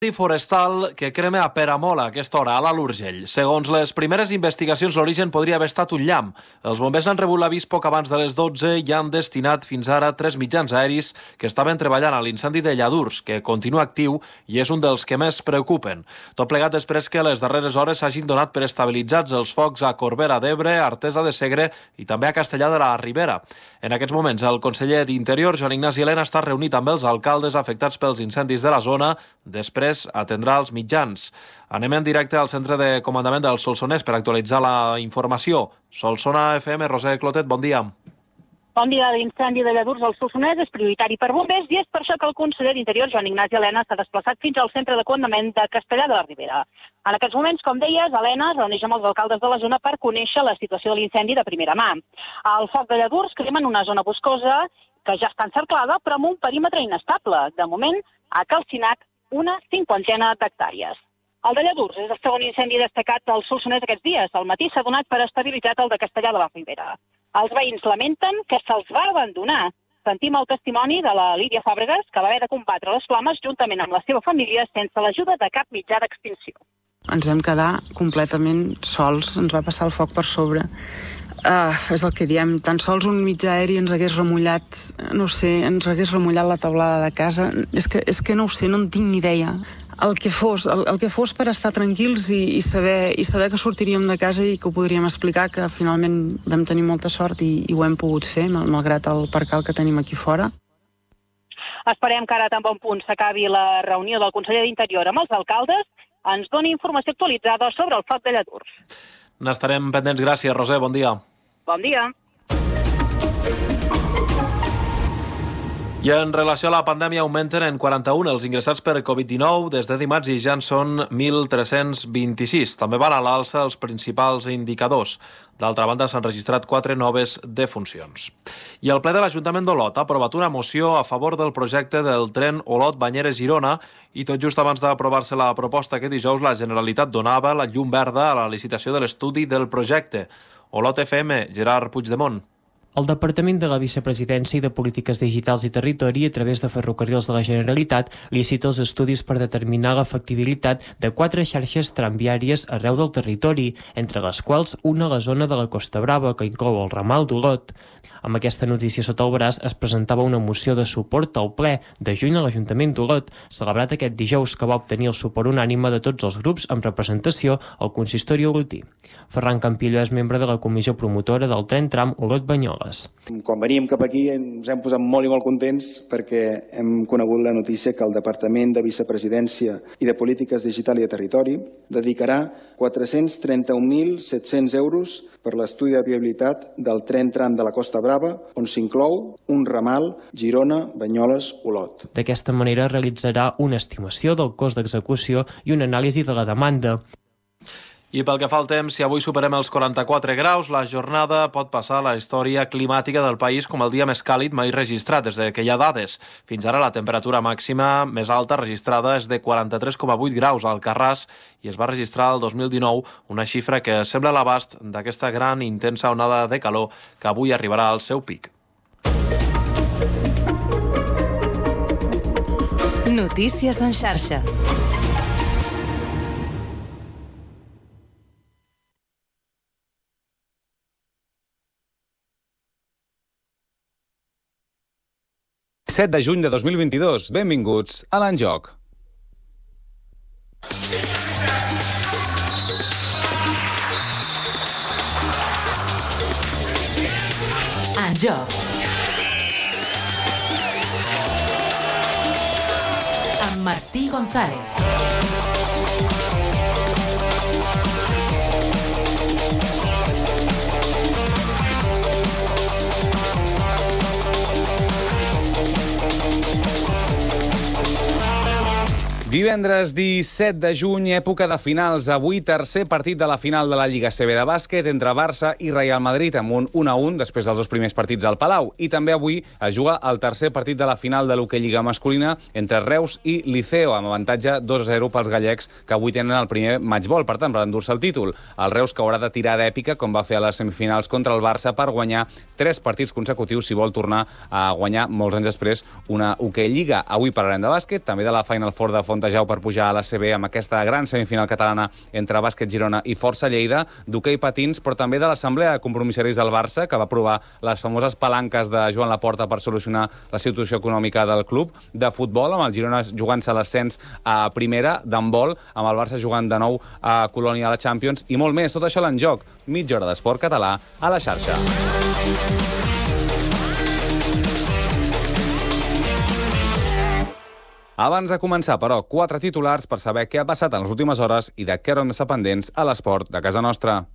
Forestal que crema a Peramola a aquesta hora, a l'Alt Urgell. Segons les primeres investigacions, l'origen podria haver estat un llamp. Els bombers han rebut l'avís poc abans de les 12 i han destinat fins ara 3 mitjans aeris que estaven treballant a l'incendi de Lladurs, que continua actiu i és un dels que més preocupen. Tot plegat després que a les darreres hores s'hagin donat per estabilitzats els focs a Corbera d'Ebre, Artesa de Segre i també a Castellar de la Ribera. En aquests moments, el conseller d'Interior, Joan Ignasi Elena, està reunit amb els alcaldes afectats pels incendis de la zona. Després atendrà els mitjans. Anem en directe al centre de comandament del Solsonès per actualitzar la informació. Solsona FM, Roser Clotet, bon dia. Bon dia. L'incendi de Lladurs al Solsonès és prioritari per bombers i és per això que el conseller d'Interior, Joan Ignasi Elena, s'ha desplaçat fins al centre de comandament de Castellar de la Ribera. En aquests moments, com deies, Elena es reuneix amb els alcaldes de la zona per conèixer la situació de l'incendi de primera mà. El foc de Lladurs crema en una zona boscosa que ja està encerclada, però amb un perímetre inestable. De moment, ha calcinat una 50 d'hectàrees. El de Lladurs és el segon incendi destacat al Solsonès aquests dies. Al matí s'ha donat per estabilitzat el de Castellar de la Ribera. Els veïns lamenten que se'ls va abandonar. Sentim el testimoni de la Lídia Fàbregas, que va haver de combatre les flames juntament amb la seva família sense l'ajuda de cap mitjà d'extinció. Ens vam quedar completament sols, ens va passar el foc per sobre. És el que diem, tan sols un mitjà aeri ens hagués remullat, no sé, ens hagués remullat la teulada de casa. És que no ho sé, no en tinc ni idea. El que fos per estar tranquils i saber que sortiríem de casa i que ho podríem explicar, que finalment vam tenir molta sort i ho hem pogut fer, malgrat el percal que tenim aquí fora. Esperem que ara tan bon punt s'acabi la reunió del conseller d'Interior amb els alcaldes, ens doni informació actualitzada sobre el foc de Lladurs. N'estarem pendents. Gràcies, Roser. Bon dia. Bon dia. I en relació a la pandèmia, augmenten en 41 els ingressats per Covid-19 des de dimarts i ja en són 1.326. També van a l'alça els principals indicadors. D'altra banda, s'han registrat 4 noves defuncions. I el ple de l'Ajuntament d'Olot ha aprovat una moció a favor del projecte del tren Olot-Banyeres-Girona i tot just abans d'aprovar-se la proposta que dijous la Generalitat donava la llum verda a la licitació de l'estudi del projecte. Olot FM, Gerard Puigdemont. El Departament de la Vicepresidència i de Polítiques Digitals i Territori, a través de Ferrocarrils de la Generalitat, licita els estudis per determinar la factibilitat de 4 xarxes tramviàries arreu del territori, entre les quals una a la zona de la Costa Brava, que inclou el ramal d'Olot. Amb aquesta notícia sota el braç es presentava una moció de suport al ple de juny a l'Ajuntament d'Olot, celebrat aquest dijous, que va obtenir el suport unànime de tots els grups amb representació al consistori olotí. Ferran Campillo és membre de la comissió promotora del tren tram Olot-Banyoles. Quan veníem cap aquí ens hem posat molt i molt contents perquè hem conegut la notícia que el Departament de Vicepresidència i de Polítiques Digital i de Territori dedicarà 431.700 euros per l'estudi de viabilitat del tren tram de la Costa Brava, on s'inclou un ramal Girona-Banyoles-Olot. D'aquesta manera realitzarà una estimació del cost d'execució i una anàlisi de la demanda. I pel que fa al temps, si avui superem els 44 graus, la jornada pot passar a la història climàtica del país com el dia més càlid mai registrat des de que hi ha dades. Fins ara la temperatura màxima més alta registrada és de 43,8 graus a Alcarràs i es va registrar el 2019, una xifra que sembla a l'abast d'aquesta gran i intensa onada de calor que avui arribarà al seu pic. Notícies en xarxa. ...7 de juny de 2022. Benvinguts a l'Enjoc. Enjoc. Amb Martí González. Divendres 17 de juny, època de finals. Avui, tercer partit de la final de la Lliga CB de bàsquet entre Barça i Real Madrid, amb un 1-1 després dels 2 primers partits al Palau. I també avui es juga el tercer partit de la final de l'hoquei Lliga masculina entre Reus i Liceo, amb avantatge 2-0 pels gallecs, que avui tenen el primer matchball, per tant, per endur-se el títol. El Reus, que haurà de tirar d'èpica, com va fer a les semifinals contra el Barça, per guanyar 3 partits consecutius si vol tornar a guanyar molts anys després una hoquei Lliga. Avui parlarem de bàsquet, també de la Final Four de Font Fontejau per pujar a la CB amb aquesta gran semifinal catalana entre Bàsquet Girona i Força Lleida, d'hoquei patins, però també de l'Assemblea de Compromissaris del Barça, que va aprovar les famoses palanques de Joan Laporta per solucionar la situació econòmica del club, de futbol, amb el Girona jugant-se l'ascens a primera, d'handbol, amb el Barça jugant de nou a Colònia a la Champions, i molt més. Tot això l'en joc. Mitja hora d'esport català a la xarxa. Abans de començar, però, 4 titulars per saber què ha passat en les últimes hores i de què haurem d'estar pendents a l'esport de casa nostra.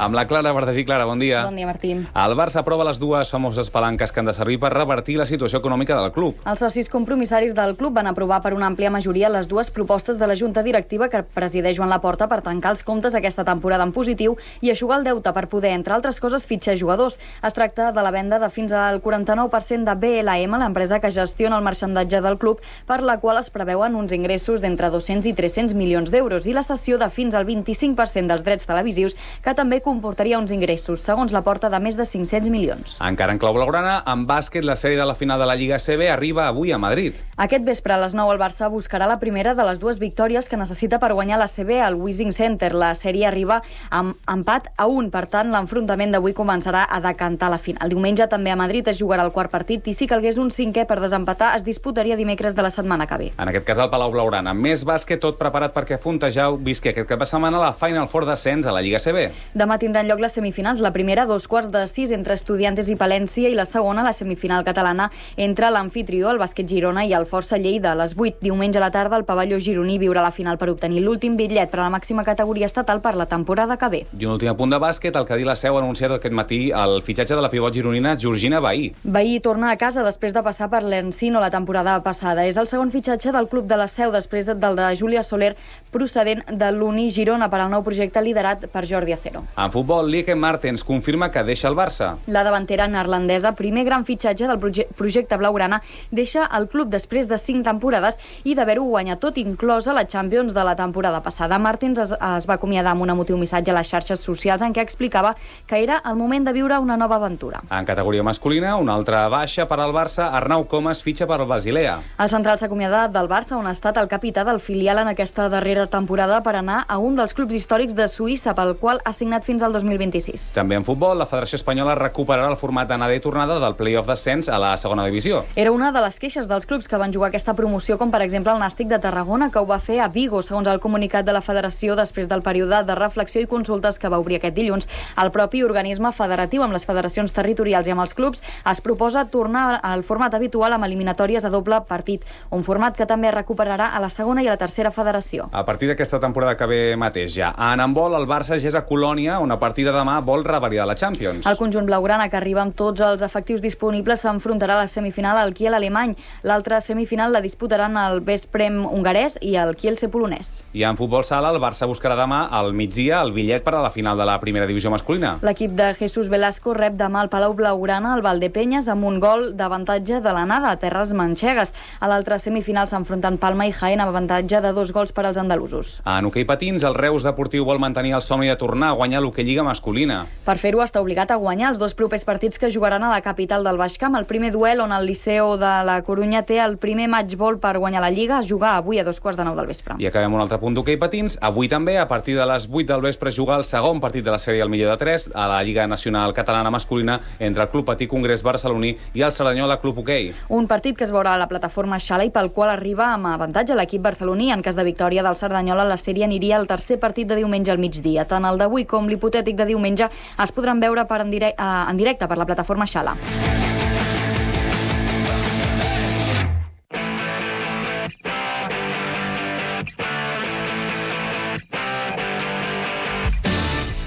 Amb la Clara Bartesí. Clara, bon dia. Bon dia, Martí. El Barça aprova les dues famoses palanques que han de servir per revertir la situació econòmica del club. Els socis compromissaris del club van aprovar per una àmplia majoria les dues propostes de la Junta Directiva que presideix Joan Laporta per tancar els comptes aquesta temporada en positiu i eixugar el deute per poder, entre altres coses, fitxar jugadors. Es tracta de la venda de fins al 49% de BLM, l'empresa que gestiona el marxandatge del club, per la qual es preveuen uns ingressos d'entre 200 i 300 milions d'euros, i la cessió de fins al 25% dels drets televisius, que també comportaria uns ingressos, segons Laporta, de més de 500 milions. Encara en clau blaugrana, en bàsquet, la sèrie de la final de la Lliga CB arriba avui a Madrid. Aquest vespre a les 9 el Barça buscarà la primera de les dues victòries que necessita per guanyar la CB al Wishing Center. La sèrie arriba amb empat a 1, per tant, l'enfrontament d'avui començarà a decantar la final. Diumenge també a Madrid es jugarà el quart partit i si calgués un cinquè per desempatar es disputaria dimecres de la setmana que ve. En aquest cas, al Palau Blaugrana. Més bàsquet, tot preparat perquè Fontejau visqui aquest cap de setmana la Final Four d'ascens a la Lliga CB. Demà tindran lloc les semifinals, la primera a 2:45 entre Estudiantes i Palència i la segona, la semifinal catalana, entre l'amfitrió, el Bàsquet Girona, i el Força Lleida. A les 8, diumenge a la tarda, el pavelló gironí viurà la final per obtenir l'últim bitllet per a la màxima categoria estatal per la temporada que ve. I un últim apunt de bàsquet, el Cadí La Seu ha anunciat aquest matí el fitxatge de la pivot gironina Georgina Bahí. Bahí torna a casa després de passar per l'Encino la temporada passada. És el segon fitxatge del club de La Seu després del de Júlia Soler, procedent de l'Uni Girona, per al nou projecte liderat per Jordi Acero. En futbol, Lieke Martens confirma que deixa el Barça. La davantera neerlandesa, primer gran fitxatge del projecte blaugrana, deixa el club després de 5 temporades i d'haver-ho guanyat tot, inclosa la Champions de la temporada passada. Martens es va acomiadar amb un emotiu missatge a les xarxes socials en què explicava que era el moment de viure una nova aventura. En categoria masculina, una altra baixa per al Barça, Arnau Comas fitxa per al Basilea. El central s'ha acomiadat del Barça, on ha estat el capità del filial en aquesta darrera temporada, per anar a un dels clubs històrics de Suïssa, pel qual ha signat fins al 2026. També en futbol, la Federació Espanyola recuperarà el format d'anada i tornada del play-off d'ascens a la segona divisió. Era una de les queixes dels clubs que van jugar aquesta promoció, com per exemple el Nàstic de Tarragona, que ho va fer a Vigo, segons el comunicat de la Federació, després del període de reflexió i consultes que va obrir aquest dilluns. El propi organisme federatiu, amb les federacions territorials i amb els clubs, es proposa tornar al format habitual amb eliminatòries a doble partit, un format que també es recuperarà a la segona i a la tercera federació. A partir d'aquesta temporada que ve mateix ja. En handbol, el Barça ja és a Colònia, on a partir de demà vol revalidar la Champions. El conjunt blaugrana, que arriba amb tots els efectius disponibles, s'enfrontarà a la semifinal al Kiel alemany. L'altra semifinal la disputaran el Veszprém hongarès i el Kielce polonès. I en futbol sala, el Barça buscarà demà al migdia el bitllet per a la final de la primera divisió masculina. L'equip de Jesús Velasco rep demà al Palau Blaugrana el Valdepenyes amb un gol d'avantatge de l'anada a terres manxegues. A l'altra semifinal s'enfronten Palma i Jaén amb avantatge de 2 gols per als andalusos. En hoquei patins, el Reus Deportiu vol mantenir el somni de tornar a guanyar l'Hoquei Lliga masculina. Per fer-ho està obligat a guanyar els 2 propers partits que jugaran a la capital del Baix Camp. El primer duel, on el Liceo de la Corunya té el primer matchball per guanyar la Lliga, es juga avui a 2:15 del vespre. I acabem un altre punt d'hoquei patins. Avui també, a partir de les 8 del vespre, juga el segon partit de la sèrie al millor de 3 a la Lliga Nacional Catalana Masculina entre el Club Patí Congrés Barceloní i el Cerdanyola Club Hoquei. Un partit que es veurà a la plataforma Xala i pel qual arriba amb avantatge l'equip barceloní. En cas de victòria del Cerdanyola, la sèrie aniria al tercer partit de diumenge al migdia. Tant el d'avui com l'hipotètic de diumenge es podran veure en directe per la plataforma Xala.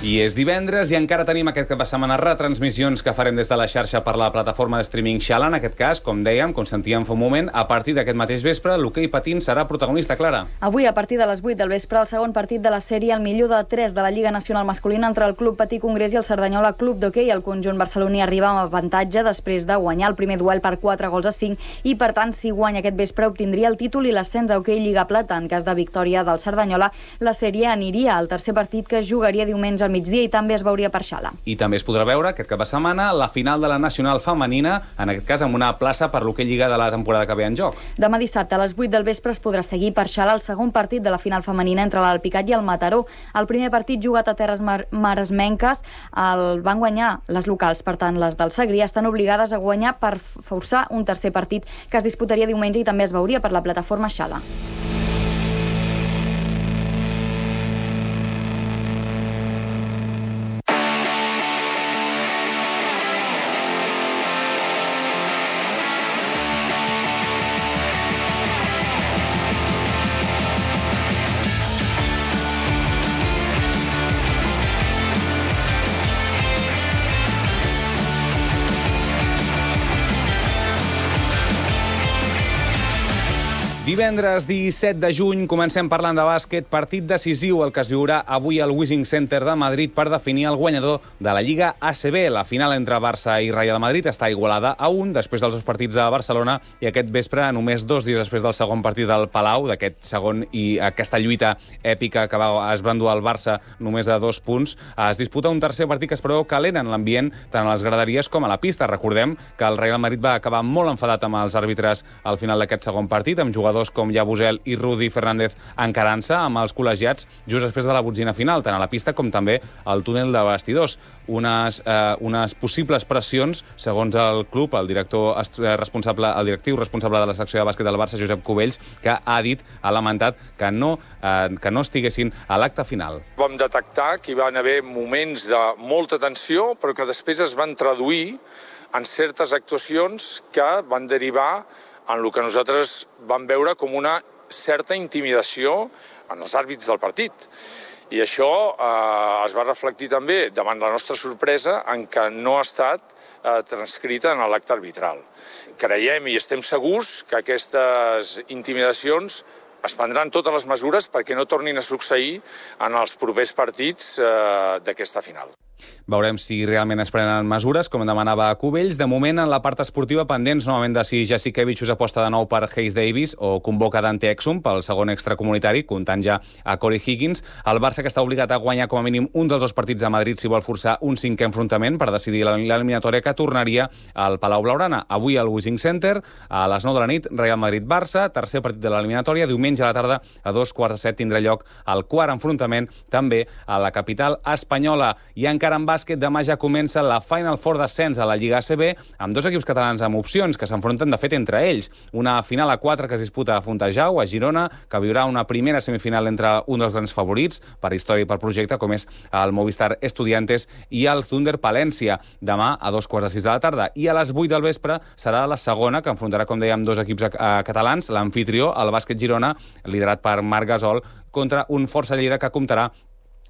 I és divendres i encara tenim aquest cap de setmana retransmissions que farem des de la xarxa per la plataforma de streaming Xala. En aquest cas, com dèiem, com sentíem fa un moment, a partir d'aquest mateix vespre, l'hoquei patins serà protagonista, Clara. Avui, a partir de les 8 del vespre, el segon partit de la sèrie, el millor de 3 de la Lliga Nacional Masculina entre el Club Patí Congrés i el Cerdanyola Club d'Hoquei. El conjunt barceloní arriba amb avantatge després de guanyar el primer duel per 4-5 i, per tant, si guanya aquest vespre, obtindria el títol i l'ascens a Hoquei Lliga Plata. En cas de victòria del Cerdanyola, la sèrie aniria al tercer partit que es jugaria diumenge al migdia i també es veuria per Xala. I també es podrà veure aquest cap de setmana la final de la Nacional Femenina, en aquest cas amb una plaça per l'Hoquei Lliga de la temporada que ve en joc. Demà dissabte a les 8 del vespre es podrà seguir per Xala el segon partit de la final femenina entre l'Alpicat i el Mataró. El primer partit jugat a terres maresmenques el van guanyar les locals, per tant les del Segrià estan obligades a guanyar per forçar un tercer partit que es disputaria diumenge i també es veuria per la plataforma Xala. Divendres 17 de juny comencem parlant de bàsquet, partit decisiu el que es viurà avui al Wishing Center de Madrid per definir el guanyador de la Lliga ACB. La final entre Barça i Real Madrid està igualada a 1 després dels dos partits de Barcelona i aquest vespre, només 2 dies després del segon partit del Palau, d'aquest segon i aquesta lluita èpica que es va endur al Barça només de 2 punts, es disputa un tercer partit que es preveu calent en l'ambient tant a les graderies com a la pista. Recordem que el Real Madrid va acabar molt enfadat amb els àrbitres al final d'aquest segon partit, amb jugadors com Yabusel i Rudi Fernández encarant-se amb els col·legiats just després de la botzina final, tant a la pista com també al túnel de vestidors. Unes possibles pressions, segons el club, el directiu responsable de la secció de bàsquet del Barça, Josep Cubells, que ha lamentat que no estiguessin a l'acte final. Vam detectar que hi van haver moments de molta tensió, però que després es van traduir en certes actuacions que van derivar en el que nosaltres vam veure com una certa intimidació en els àrbits del partit. I això es va reflectir també, davant la nostra sorpresa, en que no ha estat transcrita en l'acte arbitral. Creiem i estem segurs que aquestes intimidacions es prendran totes les mesures perquè no tornin a succeir en els propers partits d'aquesta final. Veurem si realment es prenen mesures, com demanava Cubells. De moment, en la part esportiva, pendents novament de si Jasikevičius aposta de nou per Hayes Davis o convoca Dante Exum pel segon extracomunitari, comptant ja a Corey Higgins. El Barça, que està obligat a guanyar com a mínim un dels dos partits a Madrid si vol forçar un cinquè enfrontament per decidir l'eliminatòria que tornaria al Palau Blaugrana. Avui al Wishing Center, a les 9 de la nit, Real Madrid-Barça, tercer partit de l'eliminatòria. Diumenge a la tarda, a 2:15 tindrà lloc el quart enfrontament, també a la capital espanyola. I encara en bàsquet, demà ja comença la Final Four d'ascens a la Lliga ACB, amb dos equips catalans amb opcions que s'enfronten de fet entre ells. Una final a 4 que es disputa a Fontejau, a Girona, que viurà una primera semifinal entre un dels grans favorits per història i per projecte, com és el Movistar Estudiantes i el Thunder Palència, demà a 2:15 de la tarda. I a les 8 del vespre serà la segona, que enfrontarà, com dèiem, dos equips catalans, l'anfitrió, el Bàsquet Girona, liderat per Marc Gasol, contra un Força Lleida que comptarà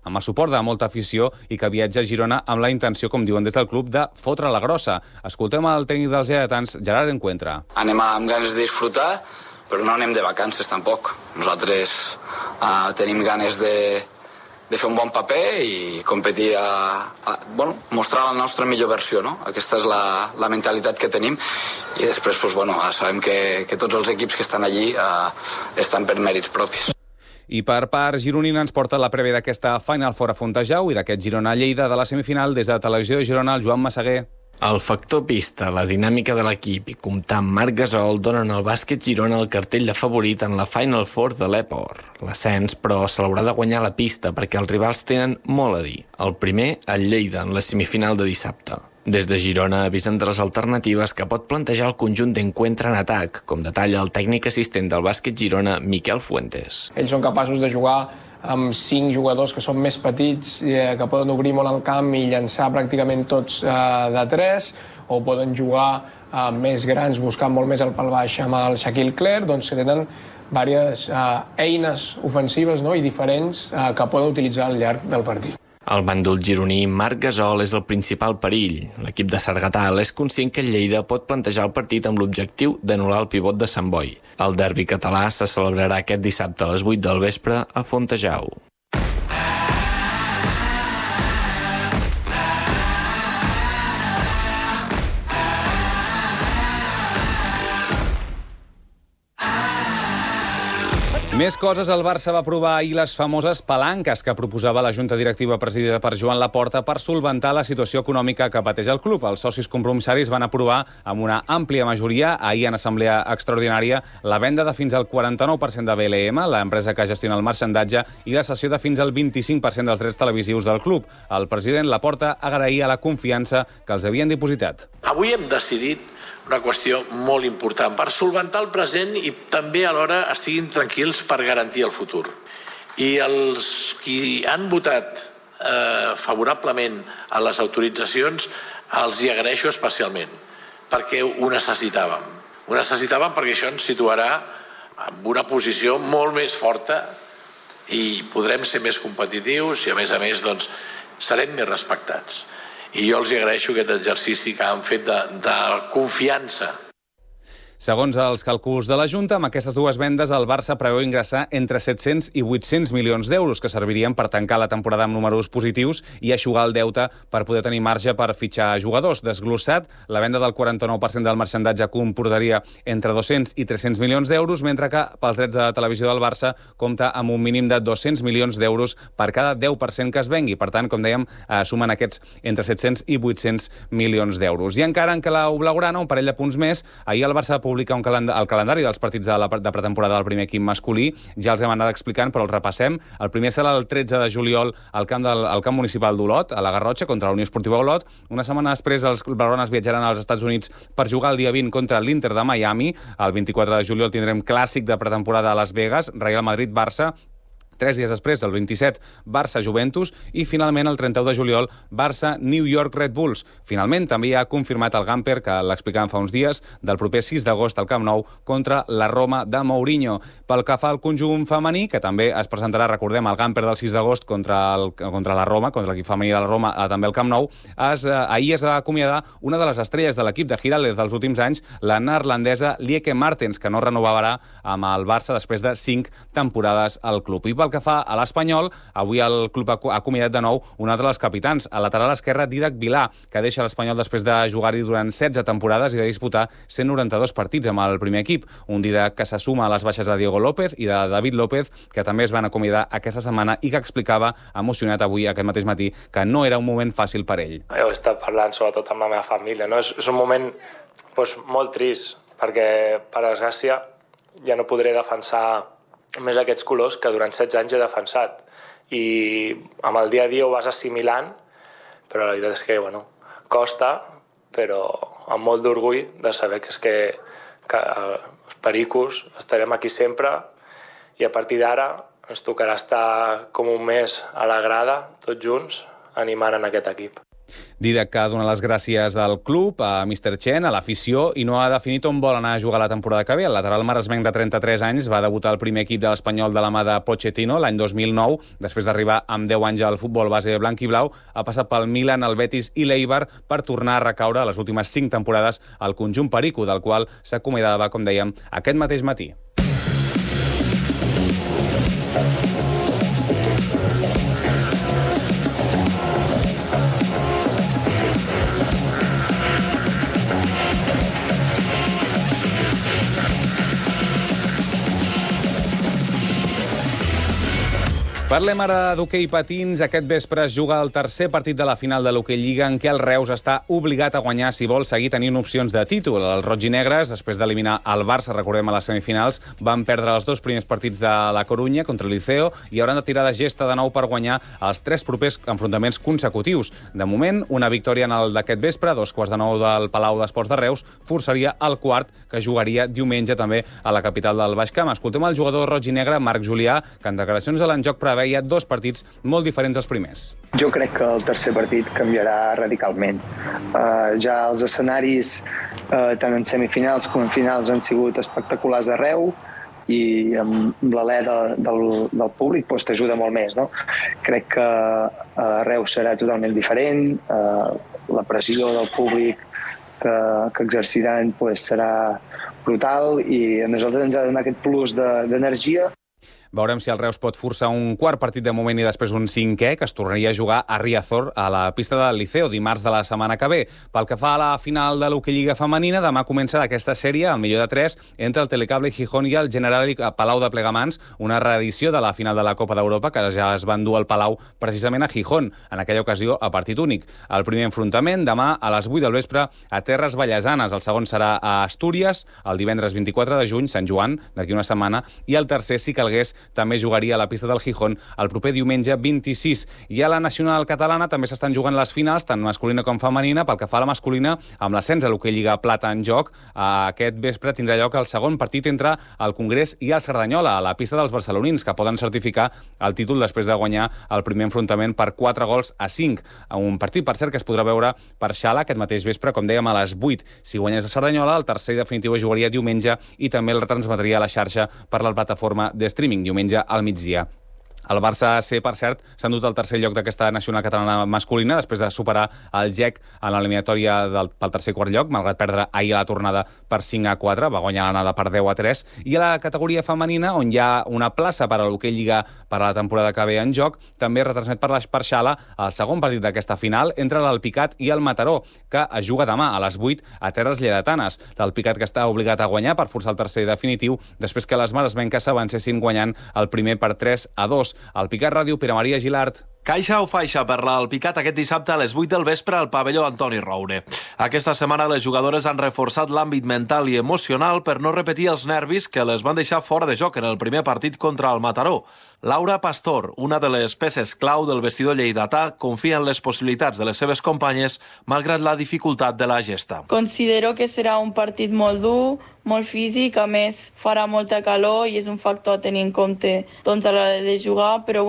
amb el suport de molta afició i que viatja a Girona amb la intenció, com diuen des del club, de fotre la grossa. Escoltem el tècnic dels lleidatans, Gerard Encuentra. Anem amb ganes de disfrutar, però no anem de vacances tampoc. Nosaltres tenim ganes de fer un bon paper i competir mostrar la nostra millor versió, no? Aquesta és la mentalitat que tenim i després sabem que tots els equips que estan allí estan per mèrits propis. I per part gironina ens porta la prèvia d'aquesta Final Four a Fontejau i d'aquest Girona-Lleida de la semifinal des de Televisió de Girona, el Joan Massaguer. El factor pista, la dinàmica de l'equip i comptar amb Marc Gasol donen al bàsquet Girona el cartell de favorit en la Final Four de l'Epor. L'ascens, però, se l'haurà de guanyar a la pista perquè els rivals tenen molt a dir. El primer, el Lleida, en la semifinal de dissabte. Des de Girona avisen de les alternatives que pot plantejar el conjunt d'Encuentra en atac, com detalla el tècnic assistent del bàsquet Girona, Miquel Fuentes. Ells són capaços de jugar amb 5 jugadors que són més petits, que poden obrir molt el camp i llançar pràcticament tots de 3, o poden jugar més grans, buscant molt més el pal baix amb el Shaquille Clerc, doncs que tenen diverses eines ofensives i diferents que poden utilitzar al llarg del partit. El bàndol gironí Marc Gasol és el principal perill. L'equip de Sargatal és conscient que el Lleida pot plantejar el partit amb l'objectiu d'anul·lar el pivot de Sant Boi. El derbi català se celebrarà aquest dissabte a les 8 del vespre a Fontejau. Més coses, el Barça va aprovar ahir les famoses palanques que proposava la Junta Directiva presidida per Joan Laporta per solventar la situació econòmica que pateix el club. Els socis compromissaris van aprovar amb una àmplia majoria ahir en assemblea extraordinària la venda de fins al 49% de BLM, l'empresa que gestiona el marxandatge, i la cessió de fins al 25% dels drets televisius del club. El president Laporta agraïa la confiança que els havien dipositat. Avui hem decidit una qüestió molt important per solventar el present i també alhora estiguin tranquils per garantir el futur. I els qui han votat favorablement a les autoritzacions els hi agraeixo especialment, perquè ho necessitàvem. Ho necessitàvem perquè això ens situarà en una posició molt més forta i podrem ser més competitius i, a més, doncs, serem més respectats. I jo els agraeixo aquest exercici que han fet de confiança. Segons els càlculs de la Junta, amb aquestes dues vendes el Barça preveu ingressar entre 700 i 800 milions d'euros, que servirien per tancar la temporada amb números positius i eixugar el deute per poder tenir marge per fitxar jugadors. Desglossat, la venda del 49% del marxandatge comportaria entre 200 i 300 milions d'euros, mentre que pels drets de televisió del Barça compta amb un mínim de 200 milions d'euros per cada 10% que es vengui. Per tant, com dèiem, sumen aquests entre 700 i 800 milions d'euros. I encara en clau blaugrana, un parell de punts més, ahir el Barça publica el calendari dels partits de pretemporada del primer equip masculí. Ja els hem anat explicant, però els repassem. El primer serà el 13 de juliol al camp municipal d'Olot, a la Garrotxa, contra la Unió Esportiva Olot. Una setmana després, els blaugranes viatjaran als Estats Units per jugar el dia 20 contra l'Inter de Miami. El 24 de juliol tindrem clàssic de pretemporada a Las Vegas, Real Madrid-Barça. 3 dies després, el 27, Barça-Juventus, i finalment el 31 de juliol, Barça-New York Red Bulls. Finalment, també ha confirmat el Gamper, que l'explicàvem fa uns dies, del proper 6 d'agost al Camp Nou contra la Roma de Mourinho. Pel que fa al conjunt femení, que també es presentarà, recordem, el Gamper del 6 d'agost contra la Roma, contra l'equip femení de la Roma, també al Camp Nou, ahir es va acomiadar una de les estrelles de l'equip de Giraldez dels últims anys, la neerlandesa Lieke Martens, que no renovarà amb el Barça després de 5 temporades al club. I pel que fa a l'Espanyol, avui el club ha acomiadat de nou un altre dels capitans, el lateral esquerre Dídac Vilà, que deixa l'Espanyol després de jugar-hi durant 16 temporades i de disputar 192 partits amb el primer equip. Un Dídac que se suma a les baixes de Diego López i de David López, que també es van acomiadar aquesta setmana i que explicava, emocionat avui aquest mateix matí, que no era un moment fàcil per ell. He estat parlant sobretot amb la meva família, no? És un moment molt trist, perquè, per desgràcia, ja no podré defensar més aquests colors que durant 16 anys he defensat. I amb el dia a dia ho vas assimilant, però la veritat és que, costa, però amb molt d'orgull de saber que els pericos estarem aquí sempre i a partir d'ara ens tocarà estar com un mes a la grada, tots junts, animant en aquest equip. Dídac que dona les gràcies al club, a Mr. Chen, a l'afició, i no ha definit on vol anar a jugar la temporada que ve. El lateral maresmenc de 33 anys va debutar al primer equip de l'Espanyol de la mà de Pochettino l'any 2009, després d'arribar amb 10 anys al futbol base blanc i blau, ha passat pel Milan, el Betis i l'Eibar per tornar a recaure les últimes 5 temporades al conjunt perico, del qual s'acomiadava, com dèiem, aquest mateix matí. Parlem ara d'hoquei patins. Aquest vespre es juga el tercer partit de la final de l'Hoquei Lliga, en què el Reus està obligat a guanyar si vol seguir tenint opcions de títol. Els roig i negres, després d'eliminar el Barça, recordem, a les semifinals, van perdre els 2 primers partits de la Corunya contra el Liceo i hauran de tirar de gesta de nou per guanyar els 3 propers enfrontaments consecutius. De moment, una victòria en el d'aquest vespre, 8:45 del Palau d'Esports de Reus, forçaria el quart, que jugaria diumenge també a la capital del Baix Camp. Escoltem el jugador roig i negre, Marc Julià, que en declaracions de l'Enjoc preveia 2 partits molt diferents als primers. Jo crec que el tercer partit canviarà radicalment. Ja els escenaris, tant en semifinals com en finals, han sigut espectaculars arreu. i amb l'alè del públic doncs t'ajuda molt més, no? Crec que Reus serà totalment diferent, la pressió del públic que exerciran doncs serà brutal i a nosaltres ens ha de donar aquest plus d'energia. Veurem si el Reus pot forçar un quart partit de moment i després un cinquè, que es tornaria a jugar a Riazor, a la pista del Liceo, dimarts de la setmana que ve. Pel que fa a la final de l'Hockey Lliga femenina, demà comença aquesta sèrie, el millor de 3, entre el Telecable Gijón i el Generali Palau de Plegamans, una reedició de la final de la Copa d'Europa que ja es va endur al Palau precisament a Gijón, en aquella ocasió a partit únic. El primer enfrontament demà a les 8 del vespre a Terres Vallesanes, el segon serà a Astúries, el divendres 24 de juny, Sant Joan, d'aquí una setmana, i el tercer, si calgués, també jugaria a la pista del Gijón el proper diumenge 26. I a la nacional catalana també s'estan jugant les finals, tant masculina com femenina. Pel que fa a la masculina, amb l'ascens a l'Hockey Lliga Plata en joc, aquest vespre tindrà lloc el segon partit entre el Congrés i el Cerdanyola, a la pista dels barcelonins, que poden certificar el títol després de guanyar el primer enfrontament per 4-5. Un partit, per cert, que es podrà veure per Xala aquest mateix vespre, com dèiem, a les 8. Si guanyés a Cerdanyola, el tercer i definitiu es jugaria diumenge i també el retransmetria a la xarxa per la plataforma de streaming, diumenge al migdia. El Barça C, per cert, s'ha endut el tercer lloc d'aquesta nacional catalana masculina després de superar el GEC en l'eliminatòria pel tercer i quart lloc, malgrat perdre ahir a la tornada per 5-4, va guanyar l'anada per 10-3, i a la categoria femenina, on hi ha una plaça per a l'Hockey Lliga per a la temporada que ve en joc, també retransmet per Xala el segon partit d'aquesta final entre l'Alpicat i el Mataró, que es juga demà a les 8 a Terres Lleidatanes. L'Alpicat, que està obligat a guanyar per forçar el tercer definitiu, després que les maresmenques s'avancessin guanyant el primer per 3-2. Alpicat Ràdio, Pere Maria Gilart. Caixa o faixa per l'Alpicat aquest dissabte a les 8 del vespre al pavelló Antoni Roure. Aquesta setmana les jugadores han reforçat l'àmbit mental i emocional per no repetir els nervis que les van deixar fora de joc en el primer partit contra el Mataró. Laura Pastor, una de les peces clau del vestidor lleidatà, confia en les possibilitats de les seves companyes malgrat la dificultat de la gesta. Considero que serà un partit molt dur, molt físic, a més farà molta calor i és un factor a tenir en compte a l'hora de jugar, però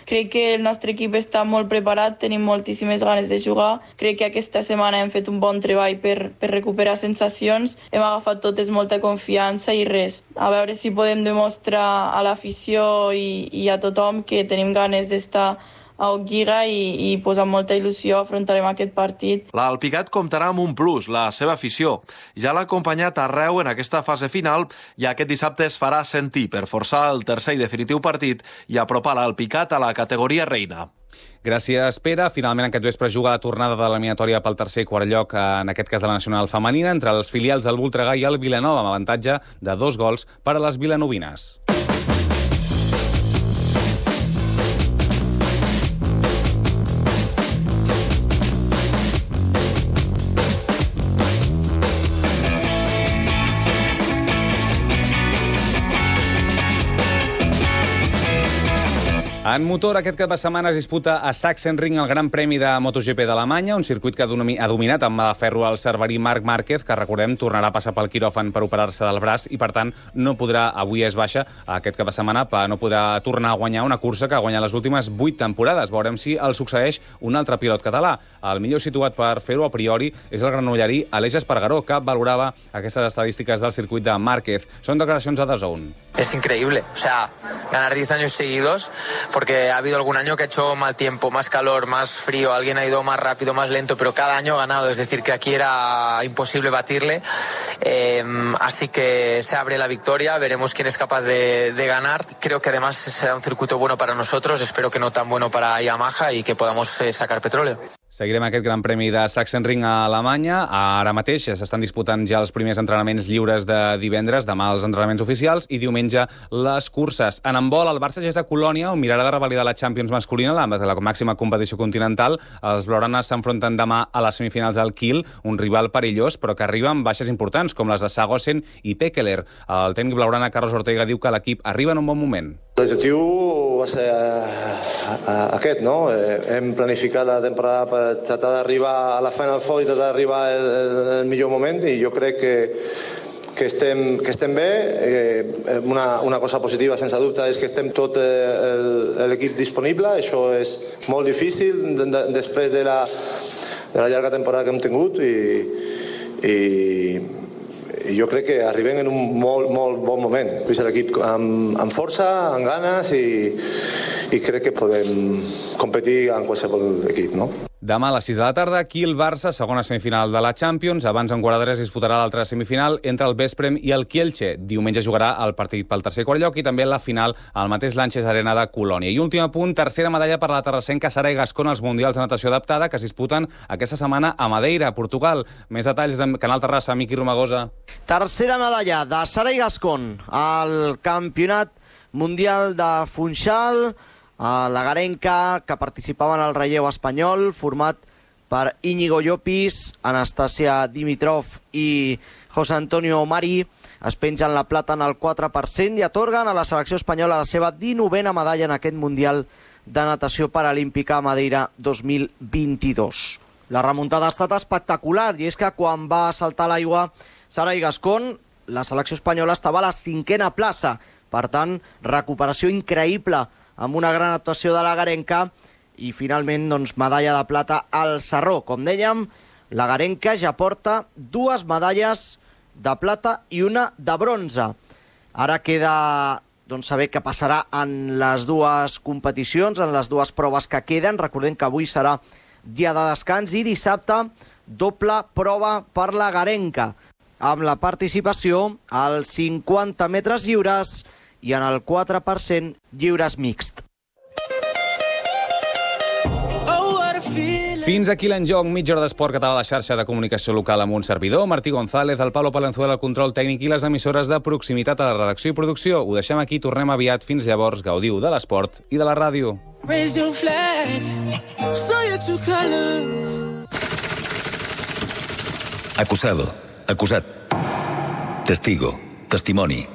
crec que el nostre equip està molt preparat, tenim moltíssimes ganes de jugar, crec que aquesta setmana hem fet un bon treball per recuperar sensacions, hem agafat totes molta confiança i res, a veure si podem demostrar a l'afició i a tothom que tenim ganes d'estar a Lliga i amb molta il·lusió afrontarem aquest partit. L'Alpicat comptarà amb un plus, la seva afició. Ja l'ha acompanyat arreu en aquesta fase final i aquest dissabte es farà sentir per forçar el tercer i definitiu partit i apropar l'Alpicat a la categoria reina. Gràcies, Pere. Finalment aquest vespre juga la tornada de l'eliminatòria pel tercer i quart lloc, en aquest cas de la nacional femenina, entre els filials del Voltregà i el Vilanova, amb avantatge de 2 gols per a les vilanovines. En motor, aquest cap de setmana es disputa a Sachsenring el Gran Premi de MotoGP d'Alemanya, un circuit que ha dominat amb mà de ferro el cerverí Marc Márquez, que recordem tornarà a passar pel quiròfan per operar-se del braç i per tant no podrà, avui és baixa, aquest cap de setmana no podrà tornar a guanyar una cursa que ha guanyat les últimes 8 temporades. Veurem si el succeeix un altre pilot català. El millor situat per fer-ho a priori és el granollerí Aleix Espargaró, que valorava aquestes estadístiques del circuit de Márquez. Són declaracions a DAZN. Es increíble, o sea, ganar 10 años seguidos, porque ha habido algún año que ha hecho mal tiempo, más calor, más frío, alguien ha ido más rápido, más lento, pero cada año ha ganado, es decir, que aquí era imposible batirle, así que se abre la victoria, veremos quién es capaz de ganar. Creo que además será un circuito bueno para nosotros, espero que no tan bueno para Yamaha y que podamos sacar petróleo. Seguirem aquest Gran Premi de Sachsenring a Alemanya. Ara mateix s'estan disputant ja els primers entrenaments lliures de divendres, demà els entrenaments oficials i diumenge les curses. En handbol, el Barça ja és a Colònia, on mirarà de revalidar la Champions masculina, la màxima competició continental. Els blaugranes s'enfronten demà a les semifinals al Kiel, un rival perillós, però que arriba amb baixes importants, com les de Sagosen i Pekeler. El tècnic blaugrana Carlos Ortega diu que l'equip arriba en un bon moment. L'objectiu va ser aquest, no? Hem planificat la temporada per tratar d'arribar a la Final Four i tratar d'arribar al millor moment i jo crec que estem bé. Una cosa positiva, sense dubte, és que estem tot l'equip disponible. Això és molt difícil després de la llarga temporada que hem tingut jo crec que arribem en un molt bon moment. És l'equip amb força, amb ganes i crec que podem competir en qualsevol equip, no? Demà a les 6 de la tarda, aquí el Barça, segona semifinal de la Champions. Abans, en quart d'hora, es disputarà l'altra semifinal entre el Vesprem i el Kielce. Diumenge jugarà el partit pel tercer i quart lloc i també la final al mateix Lanxess Arena de Colònia. I últim apunt, tercera medalla per la terrassenca Sara Gascón als Mundials de Natació Adaptada que es disputen aquesta setmana a Madeira, Portugal. Més detalls de Canal Terrassa, Miqui Romagosa. Tercera medalla de Sara Gascón al Campionat Mundial de Funchal. La garenca, que participava en el relleu espanyol, format per Íñigo Llopis, Anastasia Dimitrov i José Antonio Mari, es pengen la plata en el 4% i atorguen a la selecció espanyola la seva 19a medalla en aquest Mundial de Natació Paralímpica a Madeira 2022. La remuntada ha estat espectacular i és que quan va saltar l'aigua Sara Gascón, la selecció espanyola estava a la 5a plaça. Per tant, recuperació increïble amb una gran actuació de la garenca i finalment medalla de plata al Sarró. Com dèiem, la garenca ja porta 2 medalles de plata i una de bronze. Ara queda saber què passarà en les dues competicions, en les dues proves que queden. Recordem que avui serà dia de descans i dissabte doble prova per la garenca, amb la participació als 50 metres lliures i en el 4% lliures mixt. Fins aquí l'enjoc, mitja hora d'esport català a la xarxa de comunicació local amb un servidor, Martí González, el Pablo Palenzuela, el control tècnic i les emissores de proximitat a la redacció i producció. Ho deixem aquí, tornem aviat. Fins llavors, gaudiu de l'esport i de la ràdio. Acusado, acusat. Testigo, testimoni.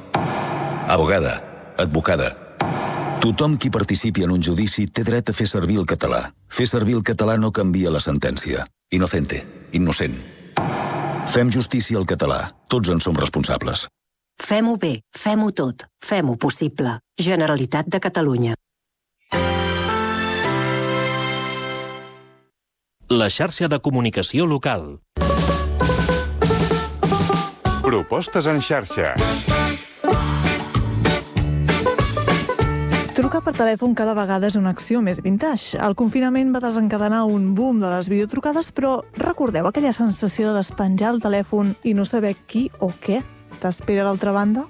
Abogada, advocada. Tothom qui participi en un judici té dret a fer servir el català. Fer servir el català no canvia la sentència. Inocente, innocent. Fem justícia al català. Tots en som responsables. Fem-ho bé, fem-ho tot, fem-ho possible. Generalitat de Catalunya. La xarxa de comunicació local. Propostes en xarxa. Trucar per telèfon cada vegada és una acció més vintage. El confinament va desencadenar un boom de les videotrucades, però recordeu aquella sensació de despenjar el telèfon i no saber qui o què t'espera a l'altra banda?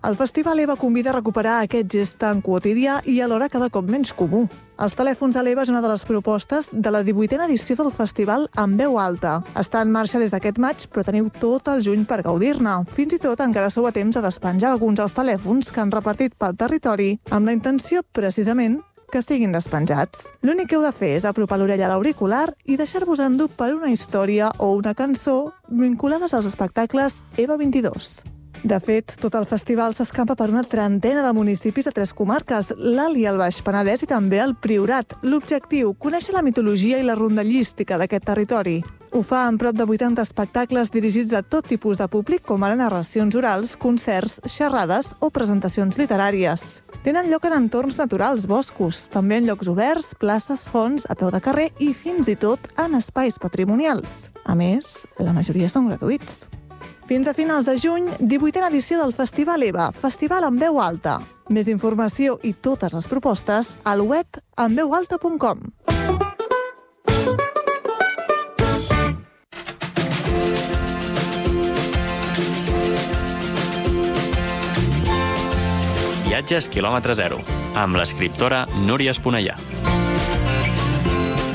El Festival EVA convida a recuperar aquest gest tan quotidià i alhora cada cop menys comú. Els telèfons a l'EVA és una de les propostes de la 18a edició del festival en veu alta. Està en marxa des d'aquest maig, però teniu tot el juny per gaudir-ne. Fins i tot encara sou a temps de despenjar alguns dels telèfons que han repartit pel territori amb la intenció, precisament, que siguin despenjats. L'únic que heu de fer és apropar l'orella a l'auricular i deixar-vos endur per una història o una cançó vinculades als espectacles EVA 22. De fet, tot el festival s'escampa per una trentena de municipis a 3 comarques, l'Alt i el Baix Penedès i també el Priorat. L'objectiu, conèixer la mitologia i la rondallística d'aquest territori. Ho fa amb prop de 80 espectacles dirigits a tot tipus de públic, com ara narracions orals, concerts, xerrades o presentacions literàries. Tenen lloc en entorns naturals, boscos, també en llocs oberts, places, fonts, a peu de carrer i fins i tot en espais patrimonials. A més, la majoria són gratuïts. Fins a finals de juny, 18a edició del Festival EVA, festival en veu alta. Més informació i totes les propostes al web enveualta.com. Viatges quilòmetre zero, amb l'escriptora Núria Esponellà.